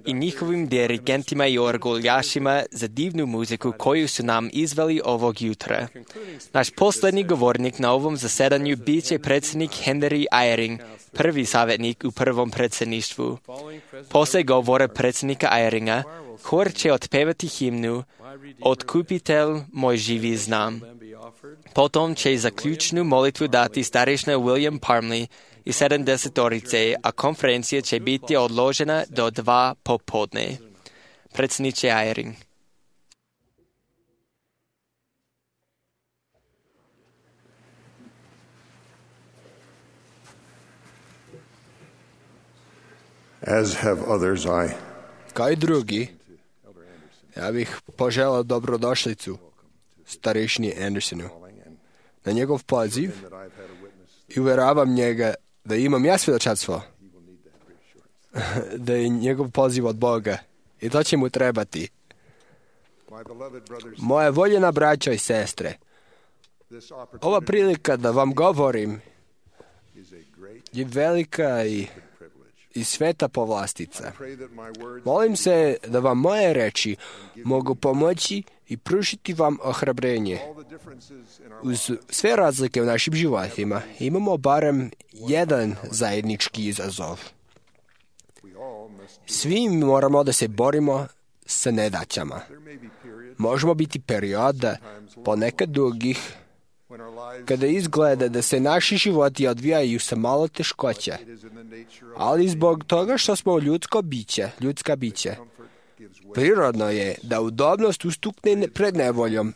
i njihovim dirigentima i orguljašima za divnu muziku koju su nam izveli ovog jutra. Naš posljednji govornik na ovom zasedanju bit će predsjednik Henry Eyring, prvi savjetnik u prvom predsjedništvu. Poslije govora predsjednika Eyringa, hor će otpevati himnu Otkupitelj moj živi znam. Potom će zaključnu molitvu dati starešina William Parmley i 70-orice, a konferencija će biti odložena do 2 popodne. Predsjedniče Eyring. As have others, Kao i drugi, ja bih poželao dobrodošlicu starešini Andersonu na njegov poziv i uvjeravam njega da imam ja svjedočanstvo, da je njegov poziv od Boga i to će mu trebati. Moje voljena braćo i sestre, ova prilika da vam govorim je velika i sveta povlastica. Molim se da vam moje reči mogu pomoći i pružiti vam ohrabrenje. Uz sve razlike u našim životima imamo barem jedan zajednički izazov. Svi moramo da se borimo sa nedaćama. Možemo biti perioda, ponekad dugih, kada izgleda da se naši životi odvijaju sa malo teškoća, ali zbog toga što smo ljudska bića, prirodno je da udobnost ustukne pred nevoljom.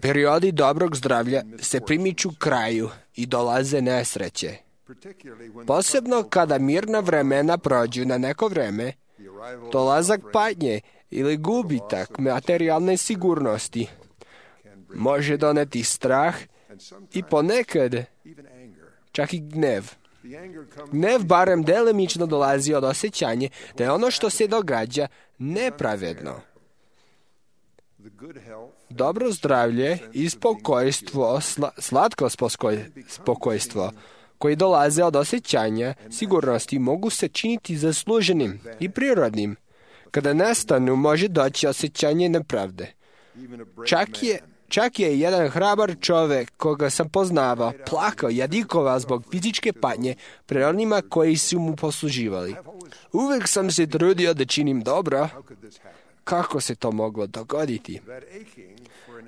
Periodi dobrog zdravlja se primiču kraju i dolaze nesreće. Posebno kada mirna vremena prođu na neko vreme, dolazak patnje ili gubitak materijalne sigurnosti može doneti strah i ponekad čak i gnev. Gnev barem delimično dolazi od osjećanja da je ono što se događa nepravedno. Dobro zdravlje i spokojstvo, slatko spokojstvo, koji dolaze od osjećanja sigurnosti, mogu se činiti zasluženim i prirodnim. Kada nestanu, može doći osjećanje nepravde. Čak je jedan hrabar čovjek koga sam poznavao plakao i jadikovao zbog fizičke patnje pred onima koji su mu posluživali. Uvijek sam se trudio da činim dobro. Kako se to moglo dogoditi?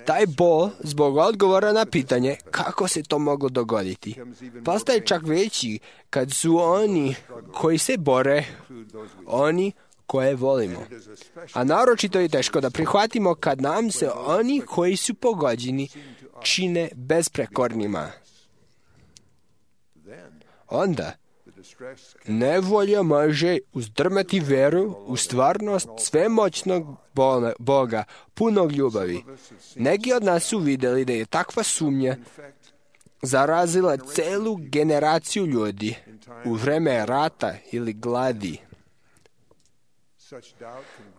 Taj bol zbog odgovora na pitanje kako se to moglo dogoditi postaje čak veći kad su oni koji se bore, oni koje volimo. A naročito je teško da prihvatimo kad nam se oni koji su pogođeni čine besprekornima. Onda nevolja može uzdrmati veru u stvarnost svemoćnog Boga, punog ljubavi. Neki od nas su vidjeli da je takva sumnja zarazila celu generaciju ljudi u vreme rata ili gladi.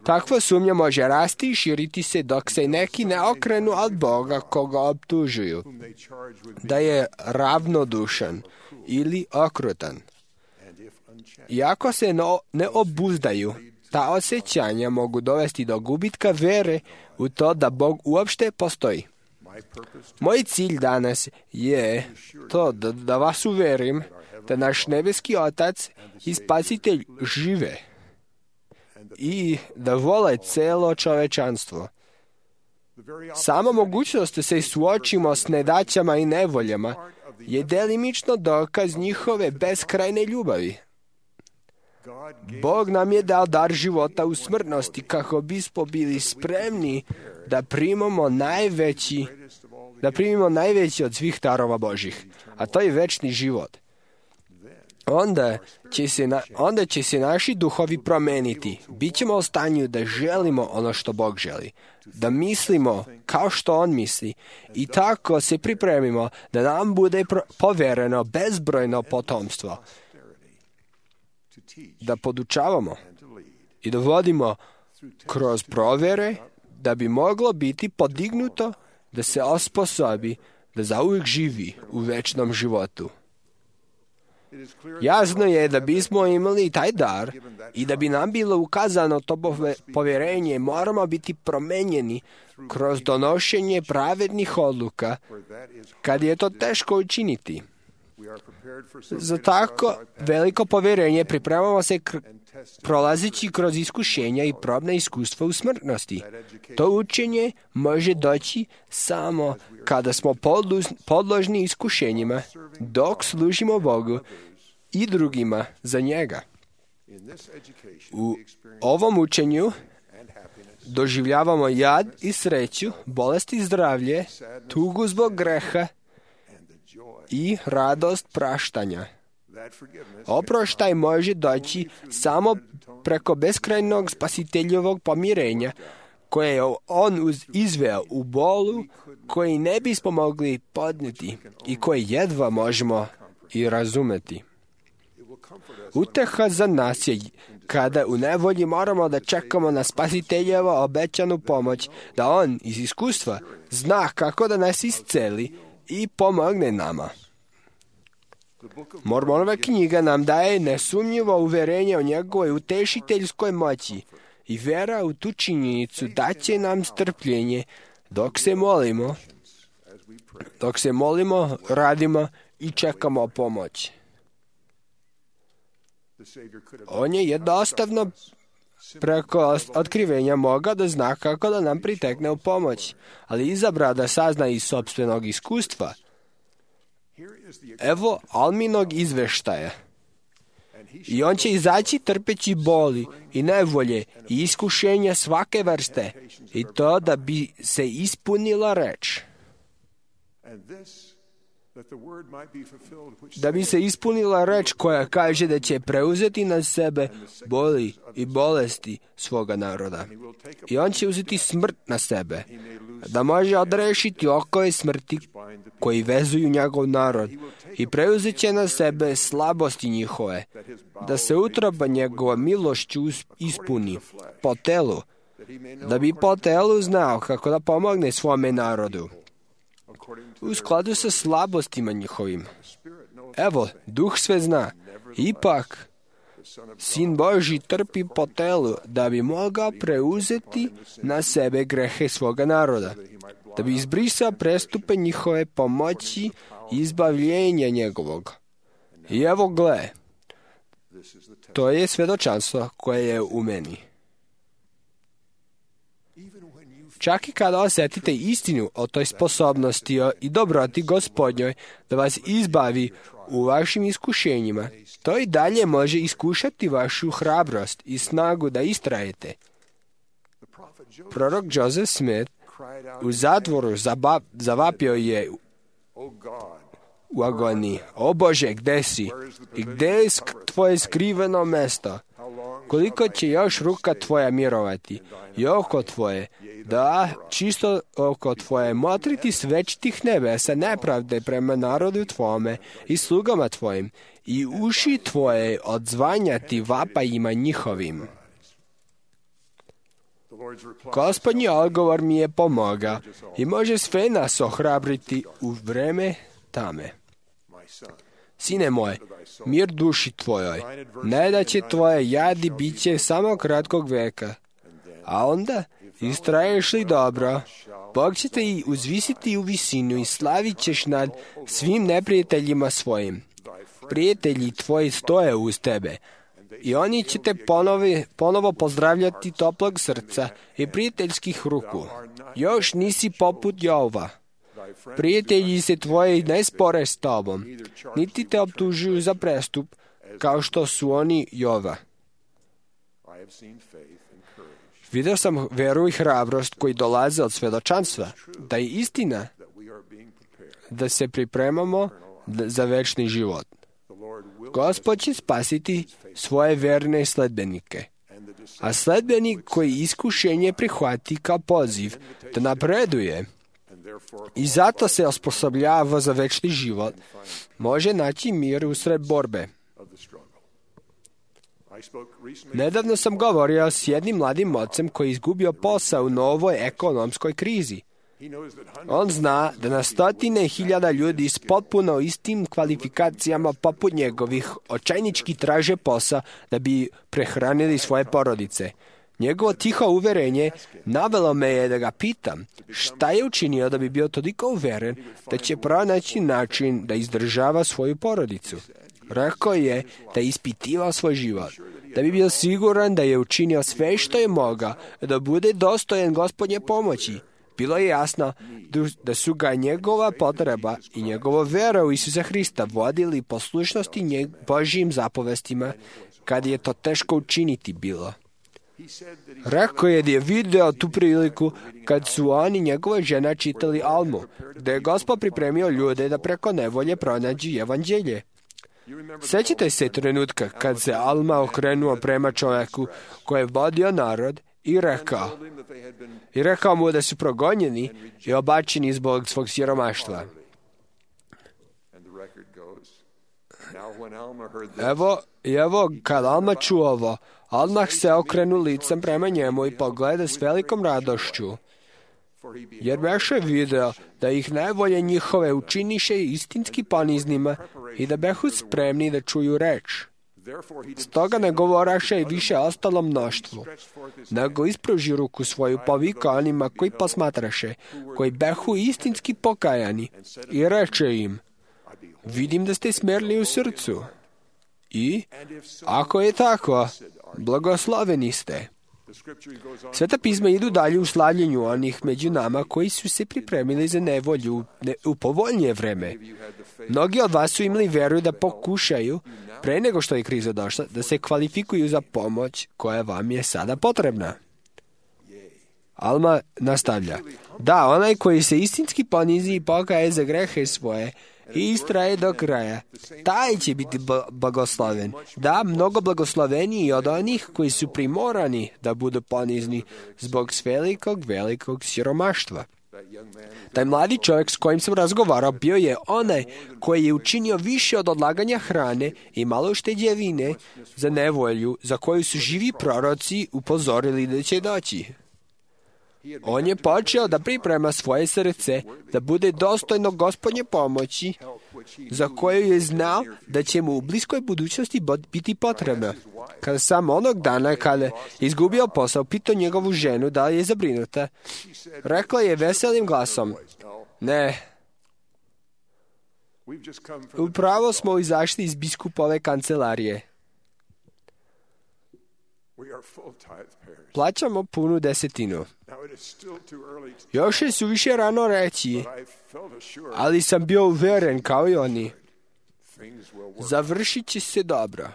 Takva sumnja može rasti i širiti se dok se neki ne okrenu od Boga koga optužuju da je ravnodušan ili okrutan. Iako se ne obuzdaju, ta osjećanja mogu dovesti do gubitka vere u to da Bog uopšte postoji. Moj cilj danas je to da vas uverim da naš nebeski Otac i Spasitelj žive i da vole celo čovečanstvo. Sama mogućnost da se suočimo s nedaćama i nevoljama je delimično dokaz njihove beskrajne ljubavi. Bog nam je dao dar života u smrtnosti kako bismo bili spremni da primimo najveći od svih darova Božih, a to je večni život. Onda će se naši duhovi promeniti. Bićemo u stanju da želimo ono što Bog želi, da mislimo kao što On misli i tako se pripremimo da nam bude povereno bezbrojno potomstvo, da podučavamo i da vodimo kroz provere da bi moglo biti podignuto da se osposobi da zauvijek živi u večnom životu. Jasno je da bismo imali taj dar i da bi nam bilo ukazano to povjerenje, moramo biti promenjeni kroz donošenje pravednih odluka, kad je to teško učiniti. Za tako veliko povjerenje pripremamo se prolazići kroz iskušenja i probna iskustva u smrtnosti. To učenje može doći samo kada smo podložni iskušenjima, dok služimo Bogu i drugima za njega. U ovom učenju doživljavamo jad i sreću, bolest i zdravlje, tugu zbog greha i radost praštanja. Oproštaj može doći samo preko beskrajnog spasiteljovog pomirenja koje je on izveo u bolu koji ne bismo mogli podnijeti i koji jedva možemo i razumeti. Uteha za nas je kada u nevolji moramo da čekamo na spasiteljevo obećanu pomoć, da on iz iskustva zna kako da nas isceli i pomogne nama. Mormonova knjiga nam daje nesumnjivo uverenje o njegovoj utešiteljskoj moći i vera u tu činjenicu daće nam strpljenje dok se molimo, radimo i čekamo pomoć. On je jednostavno preko otkrivenja mogao da zna kako da nam pritekne u pomoć, ali izabra da sazna iz sopstvenog iskustva. Evo Alminog izveštaja. I on će izaći trpeći boli i nevolje i iskušenja svake vrste, i to da bi se ispunila reč. Da bi se ispunila reč koja kaže da će preuzeti na sebe boli i bolesti svoga naroda. I on će uzeti smrt na sebe, da može odrešiti okove smrti koji vezuju njegov narod i preuzet će na sebe slabosti njihove, da se utroba njegova milošću ispuni po telu, da bi po telu znao kako da pomogne svome narodu u skladu sa slabostima njihovim. Evo, Duh sve zna. Ipak, Sin Božji trpi po telu da bi mogao preuzeti na sebe grehe svoga naroda, da bi izbrisao prestupe njihove pomoći i izbavljenja njegovog. I evo gle, to je svedočanstvo koje je u meni. Čak i kada osjetite istinu o toj sposobnosti i dobroti Gospodnjoj da vas izbavi u vašim iskušenjima, to i dalje može iskušati vašu hrabrost i snagu da istrajete. Prorok Joseph Smith u zatvoru zavapio je u agoniji: O Bože, gde si? I gde je tvoje skriveno mesto? Koliko će još ruka tvoja mirovati i oko tvoje, da čisto oko tvoje motriti svečitih nebesa nepravde prema narodu tvome i slugama tvojim i uši tvoje odzvanjati vapajima njihovim. Gospodnji odgovor mi je pomogao i može sve nas ohrabriti u vreme tame. Sine moj, mir duši tvojoj, ne da će tvoje jadi biće samo kratkog veka, a onda istraješ li dobro, Bog će te i uzvisiti u visinu i slavit ćeš nad svim neprijateljima svojim. Prijatelji tvoji stoje uz tebe i oni će te ponovo pozdravljati toplog srca i prijateljskih ruku. Još nisi poput Jova. Prijatelji se tvoji ne spore s tobom, niti te optužuju za prestup, kao što su oni Jova. Vidio sam veru i hrabrost koji dolaze od svedočanstva, da je istina da se pripremamo za večni život. Gospod će spasiti svoje verne sledbenike, a sledbenik koji iskušenje prihvati kao poziv da napreduje i zato se osposobljava za večni život, može naći mir usred borbe. Nedavno sam govorio s jednim mladim ocem koji je izgubio posao u novoj ekonomskoj krizi. On zna da na stotine hiljada ljudi s potpuno istim kvalifikacijama poput njegovih očajnički traže posao da bi prehranili svoje porodice. Njegovo tiho uverenje navelo me je da ga pitam šta je učinio da bi bio toliko uveren da će pronaći način da izdržava svoju porodicu. Rekao je da je ispitivao svoj život, da bi bio siguran da je učinio sve što je mogao da bude dostojan Gospodnje pomoći. Bilo je jasno da su ga njegova potreba i njegova vera u Isusa Hrista vodili poslušnosti Božjim zapovestima kad je to teško učiniti bilo. Rekao je da je video tu priliku kad su on i njegova žena čitali Almu, da je Gospod pripremio ljude da preko nevolje pronađu evanđelje. Sjećate se trenutka kad se Alma okrenuo prema čovjeku koji je vodio narod i rekao mu da su progonjeni i obačeni zbog svog siromaštva. Evo, kad Alma čuo ovo, odmah se okrenu licem prema njemu i pogleda s velikom radošću, jer beše video da ih najbolje njihove učiniše istinski poniznima i da behu spremni da čuju reč. Stoga ne govoraše i više ostalom mnoštvu, nego ispruži ruku svoju povika onima koji posmatraše, koji behu istinski pokajani, i reče im: vidim da ste smerli u srcu. I, ako je tako, blagosloveni ste. Sveta pisma idu dalje u slavljenju onih među nama koji su se pripremili za nevolju u povoljnije vreme. Mnogi od vas su imali veru da pokušaju, pre nego što je kriza došla, da se kvalifikuju za pomoć koja vam je sada potrebna. Alma nastavlja: da, onaj koji se istinski ponizi i pokaje za grehe svoje i istraje do kraja, taj će biti blagosloven. Da, mnogo blagosloveniji od onih koji su primorani da budu ponizni zbog velikog siromaštva. Taj mladi čovjek s kojim sam razgovarao bio je onaj koji je učinio više od odlaganja hrane i malo ušteđevine za nevolju za koju su živi proroci upozorili da će doći. On je počeo da priprema svoje srce da bude dostojno Gospodnje pomoći za koju je znao da će mu u bliskoj budućnosti biti potrebna. Kada sam onog dana kada je izgubio posao, pitao njegovu ženu da li je zabrinuta, rekla je veselim glasom: ne, upravo smo izašli iz biskupove kancelarije. Plaćamo punu desetinu. Još je suviše rano reći, ali sam bio uveren kao i oni. Završit će se dobro.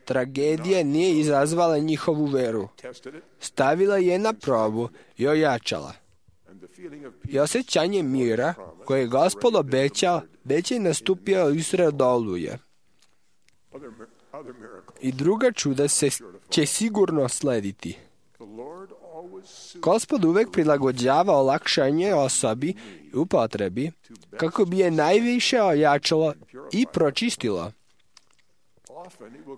Tragedija nije izazvala njihovu veru. Stavila je na probu i ojačala. I osjećanje mira koje je Gospod obećao već je nastupio usred oluje. I druga čuda će sigurno slediti. Gospod uvek prilagođava olakšanje osobi u potrebi kako bi je najviše ojačalo i pročistilo.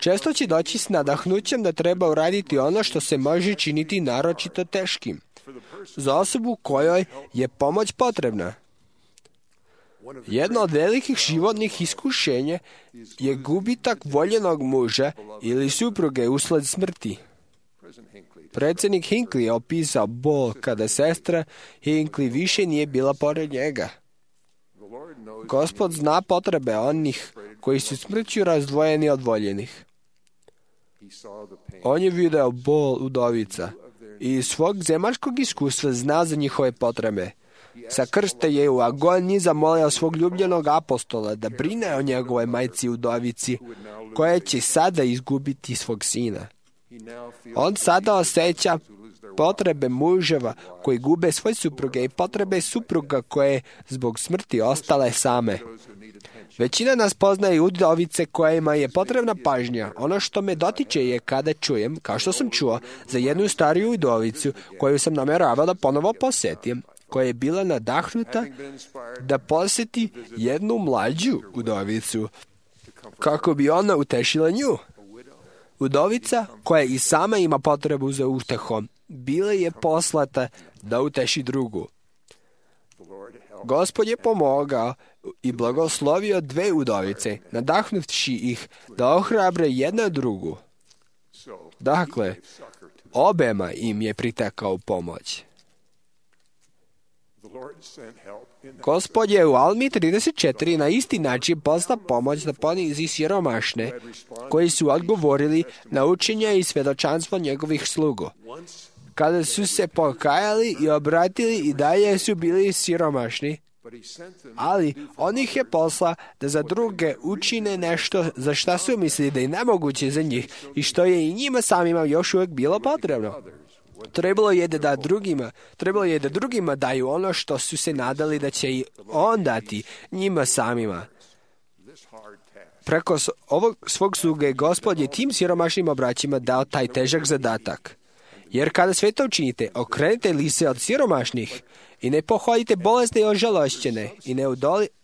Često će doći s nadahnućem da treba uraditi ono što se može činiti naročito teškim za osobu kojoj je pomoć potrebna. Jedno od velikih životnih iskušenja je gubitak voljenog muža ili supruge usled smrti. Predsjednik Hinckley je opisao bol kada sestra Hinckley više nije bila pored njega. Gospod zna potrebe onih koji su smrću razdvojeni od voljenih. On je video bol udovica i iz svog zemaljskog iskustva zna za njihove potrebe. Sa krsta je u agoniji zamolio svog ljubljenog apostola da brine o njegove majci udovici, koja će sada izgubiti svog sina. On sada osjeća potrebe muževa koji gube svoje supruge i potrebe supruga koje zbog smrti ostale same. Većina nas poznaje udovice kojima je potrebna pažnja. Ono što me dotiče je kada čujem, kao što sam čuo, za jednu stariju udovicu koju sam nameravao da ponovo posjetim, koja je bila nadahnuta da posjeti jednu mlađu udovicu, kako bi ona utešila nju. Udovica, koja i sama ima potrebu za utehom, bila je poslata da uteši drugu. Gospod je pomogao i blagoslovio dve udovice, nadahnuvši ih da ohrabre jedna drugu. Dakle, obema im je pritekao pomoć. Gospod je u Almi 34 na isti način poslao pomoć da ponizi siromašne, koji su odgovorili na učenje i svjedočanstvo njegovih slugu. Kada su se pokajali i obratili, i dalje su bili siromašni, ali on ih je poslao da za druge učine nešto za šta su mislili da je nemoguće za njih i što je i njima samima još uvijek bilo potrebno. Trebalo je da drugima daju ono što su se nadali da će i on dati njima samima. Preko ovog svog sluge Gospod je tim siromašnim braćima dao taj težak zadatak. Jer kada sve to učinite, okrenite lice od siromašnih i ne pohodite bolesne i ožalošćene i ne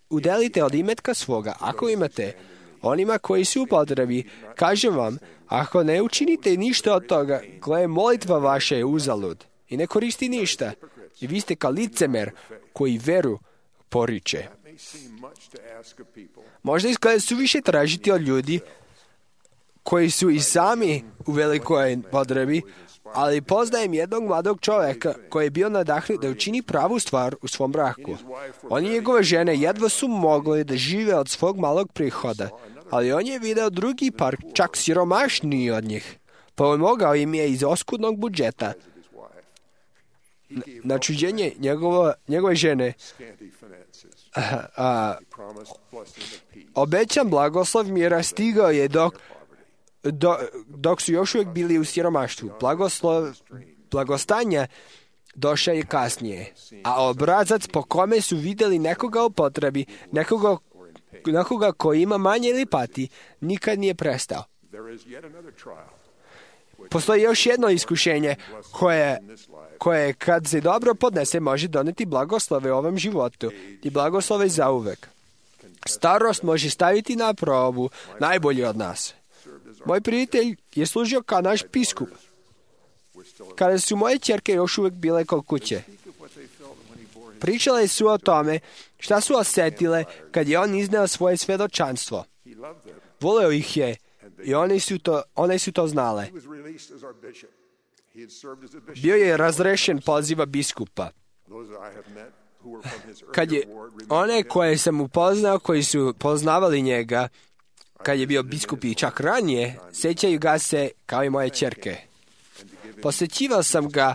udelite od imetka svoga, ako imate, onima koji su u potrebi. Kažem vam, ako ne učinite ništa od toga, gle, molitva vaša je uzalud i ne koristi ništa. I vi ste kao licemer koji veru poriče. Možda izgleda suviše tražiti od ljudi koji su i sami u velikoj potrebi, ali poznajem jednog mladog čovjeka koji je bio nadahnut da učini pravu stvar u svom braku. On i njegove žene jedva su mogli da žive od svog malog prihoda, ali on je video drugi par, čak siromašniji od njih. Pomogao im je iz oskudnog budžeta. Na čuđenje njegove žene obećan blagoslov mira stigao je dok su još uvijek bili u siromaštvu. Blagostanja došao je kasnije, a obrazac po kome su vidjeli nekoga u potrebi, nekoga koji ima manje ili pati, nikad nije prestao. Postoji još jedno iskušenje koje kad se dobro podnese može doneti blagoslove u ovom životu i blagoslove zauvek. Starost može staviti na probu najbolji od nas. Moj prijatelj je služio kao naš biskup. Kada su moje ćerke još uvijek bile kod kuće, pričale su o tome šta su osjetile kad je on izneo svoje svjedočanstvo. Voleo ih je i one su to znale. Bio je razrešen poziva biskupa. Kad je one koje sam upoznao, koji su poznavali njega, kad je bio biskup i čak ranije, sjećaju ga se kao i moje ćerke. Posjećivao sam ga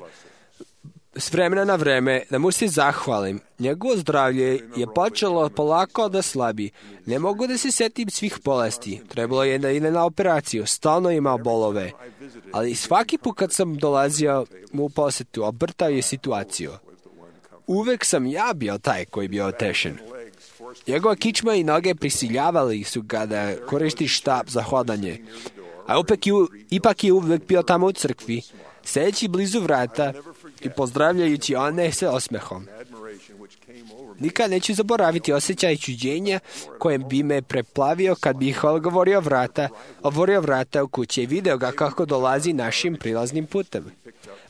s vremena na vreme da mu se zahvalim. Njegovo zdravlje je počelo polako da slabi. Ne mogu da se sjetim svih bolesti. Trebalo je da ide na operaciju. Stalno imao bolove. Ali svaki put kad sam dolazio mu u posjetu, obrtao je situaciju. Uvek sam ja bio taj koji bio otešen. Njegova kičma i noge prisiljavali su ga da koristi štap za hodanje. A ipak je uvek bio tamo u crkvi, sedeći blizu vrata i pozdravljajući one sa osmehom. Nikad neću zaboraviti osjećaj čuđenja kojem bi me preplavio kad bih otvorio vrata u kući i video ga kako dolazi našim prilaznim putem.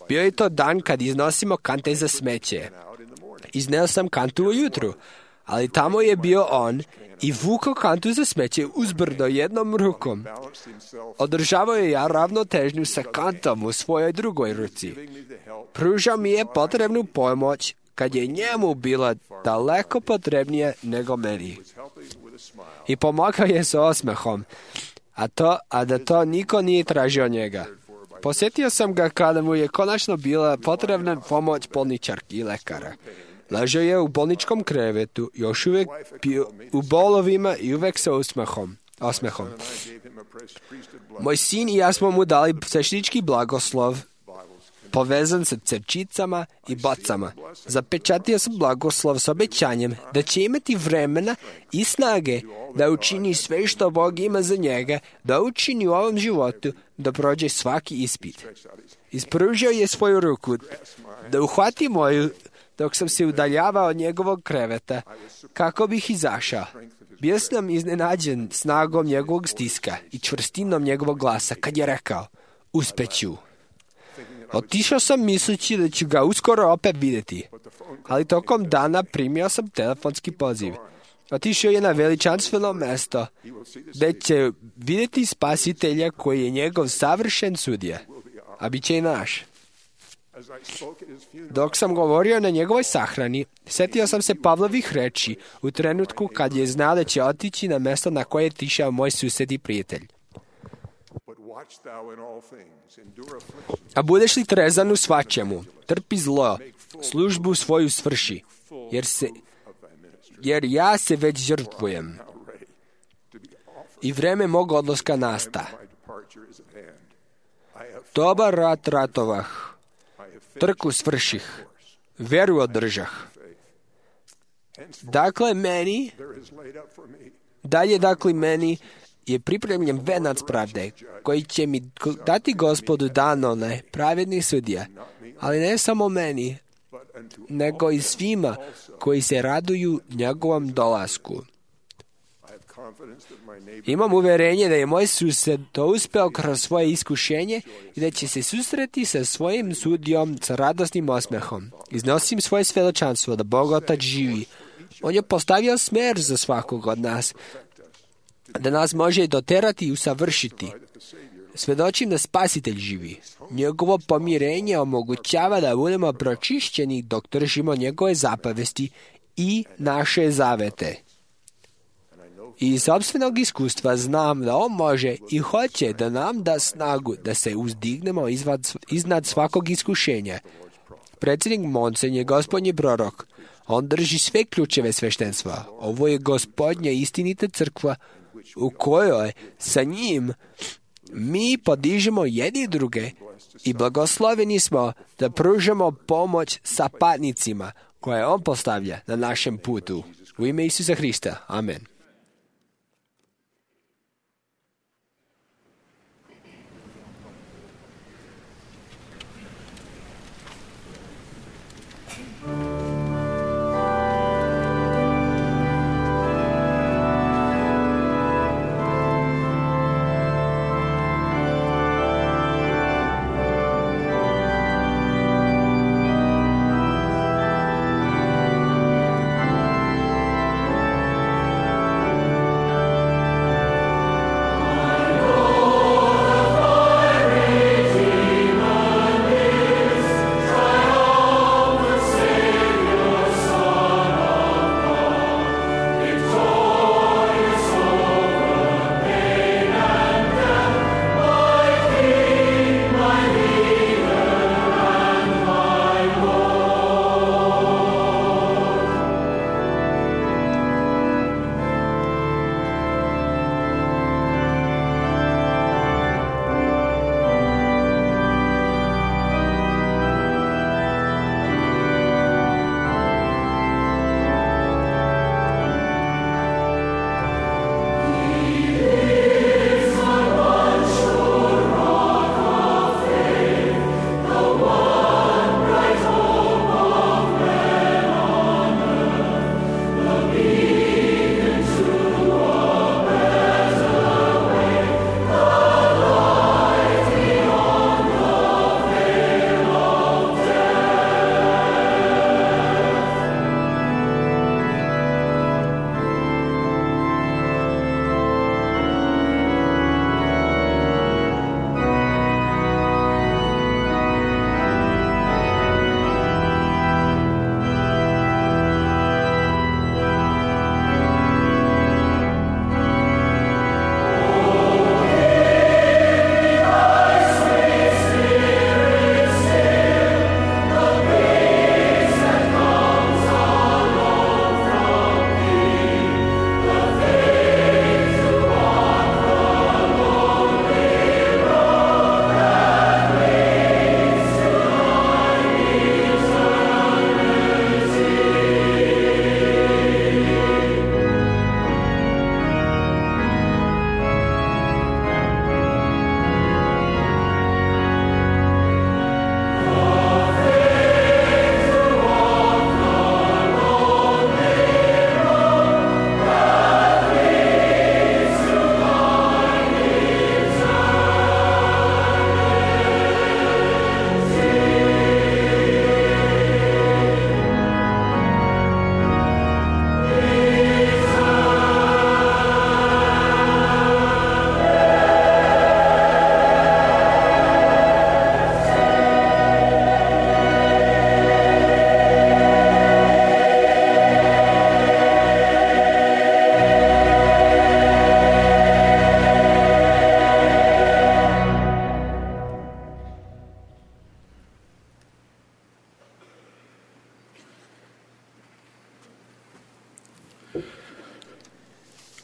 Bio je to dan kad iznosimo kante za smeće. Izneo sam kantu ujutru, ali tamo je bio on i vukao kantu za smeće uzbrdo jednom rukom. Održavao je ja ravnotežnju sa kantom u svojoj drugoj ruci. Pružao mi je potrebnu pomoć kad je njemu bila daleko potrebnija nego meni. I pomagao je sa osmehom, a da to niko nije tražio od njega. Posjetio sam ga kada mu je konačno bila potrebna pomoć bolničarki i lekara. Ležao je u bolničkom krevetu, još uvijek bio u bolovima i uvijek sa osmehom. Moj sin i ja smo mu dali sveštenički blagoslov, povezan sa crčicama i bocama. Zapečatio sam blagoslov s obećanjem da će imati vremena i snage da učini sve što Bog ima za njega, da učini u ovom životu, da prođe svaki ispit. Ispružio je svoju ruku, da uhvati moju, dok sam se udaljavao od njegovog kreveta, kako bih izašao. Bio sam iznenađen snagom njegovog stiska i čvrstinom njegovog glasa, kad je rekao, uspeću. Otišao sam misleći da ću ga uskoro opet vidjeti. ali tokom dana primio sam telefonski poziv. Otišao je na veličanstveno mesto, gde će vidjeti spasitelja koji je njegov savršen sudija, a bit će i naš. Dok sam govorio na njegovoj sahrani, setio sam se Pavlovih reči u trenutku kad je znao da će otići na mesto na koje je tišao moj sused i prijatelj. A budeš li trezan u svačemu, trpi zlo, službu svoju svrši, jer ja se već žrtvujem i vreme mog odlaska nasta. Dobar rat ratovah, trku svrših, veru održah. Dakle, meni je pripremljen venac pravde, koji će mi dati Gospodu Danone, pravedni sudija, ali ne samo meni, nego i svima koji se raduju njegovom dolasku. Imam uverenje da je moj sused to uspeo kroz svoje iskušenje i da će se susreti sa svojim sudijom sa radosnim osmehom. Iznosim svoje svedočanstvo da Bog Otac živi. On je postavio smer za svakog od nas, da nas može doterati i usavršiti. Svedočim da Spasitelj živi. Njegovo pomirenje omogućava da budemo pročišćeni dok držimo njegove zapovesti i naše zavete. I iz sopstvenog iskustva znam da on može i hoće da nam da snagu da se uzdignemo iznad svakog iskušenja. Predsjednik Monsen je gospodnji prorok. On drži sve ključeve sveštenstva. Ovo je gospodnja istinita crkva u kojoj sa njim mi podižemo jedni druge i blagosloveni smo da pružamo pomoć sapatnicima koje on postavlja na našem putu. U ime Isusa Hrista. Amen.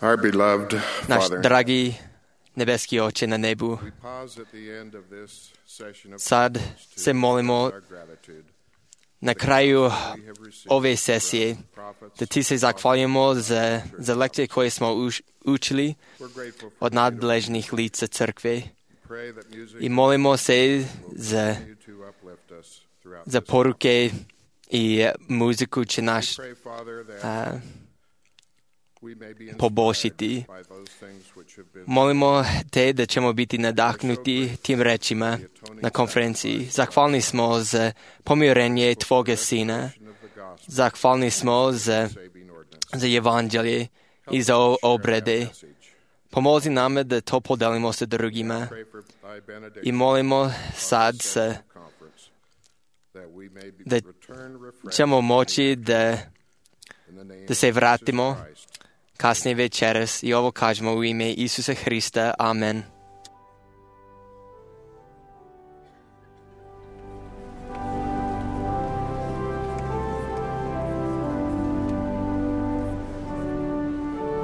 Our beloved Naš Father, dragi nebeski Oče na nebu, we pause at the end of this session of sad se molimo our gratitude. na kraju ove sesije da ti se zahvaljujemo za lekcije koje smo učili We're grateful for od nadležnih lica crkve pray that music i molimo se za, continue to uplift us throughout za poruke i muziku će naš pray, Father, that we may be poboljšati. inspired by those things which have been Molimo te da ćemo biti nadahnuti tim rečima na konferenciji. Zahvalni smo za pomirenje Tvoga Sina. of the gospel Zahvalni smo za saving ordinance. za evanđelje i za obrede. Pomozi nam da to podelimo sa drugima Pray for thy benediction i molimo sad se conference, that we may be da return refreshed ćemo moći da in the name da se of vratimo Jesus Christ. kasnije večeras i ovo kažemo u ime Isusa Hrista. Amen.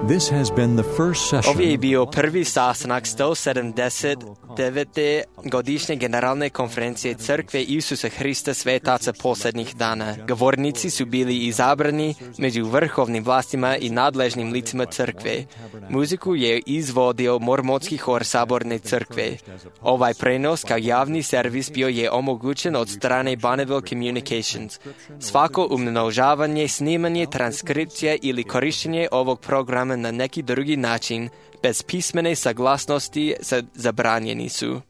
This has been the first Ovo je session bio prvi sastanak 179. godišnje generalne konferencije Crkve Isusa Hrista Svetaca posljednjih dana. Govornici su bili izabrani među vrhovnim vlastima i nadležnim licima Crkve. Muziku je izvodio Mormotski hor Saborne Crkve. Ovaj prenos kao javni servis bio je omogućen od strane Bonneville Communications. Svako umnožavanje, snimanje, transkripcija ili korištenje ovog programa na neki drugi način, bez pismene saglasnosti zabranjeni su.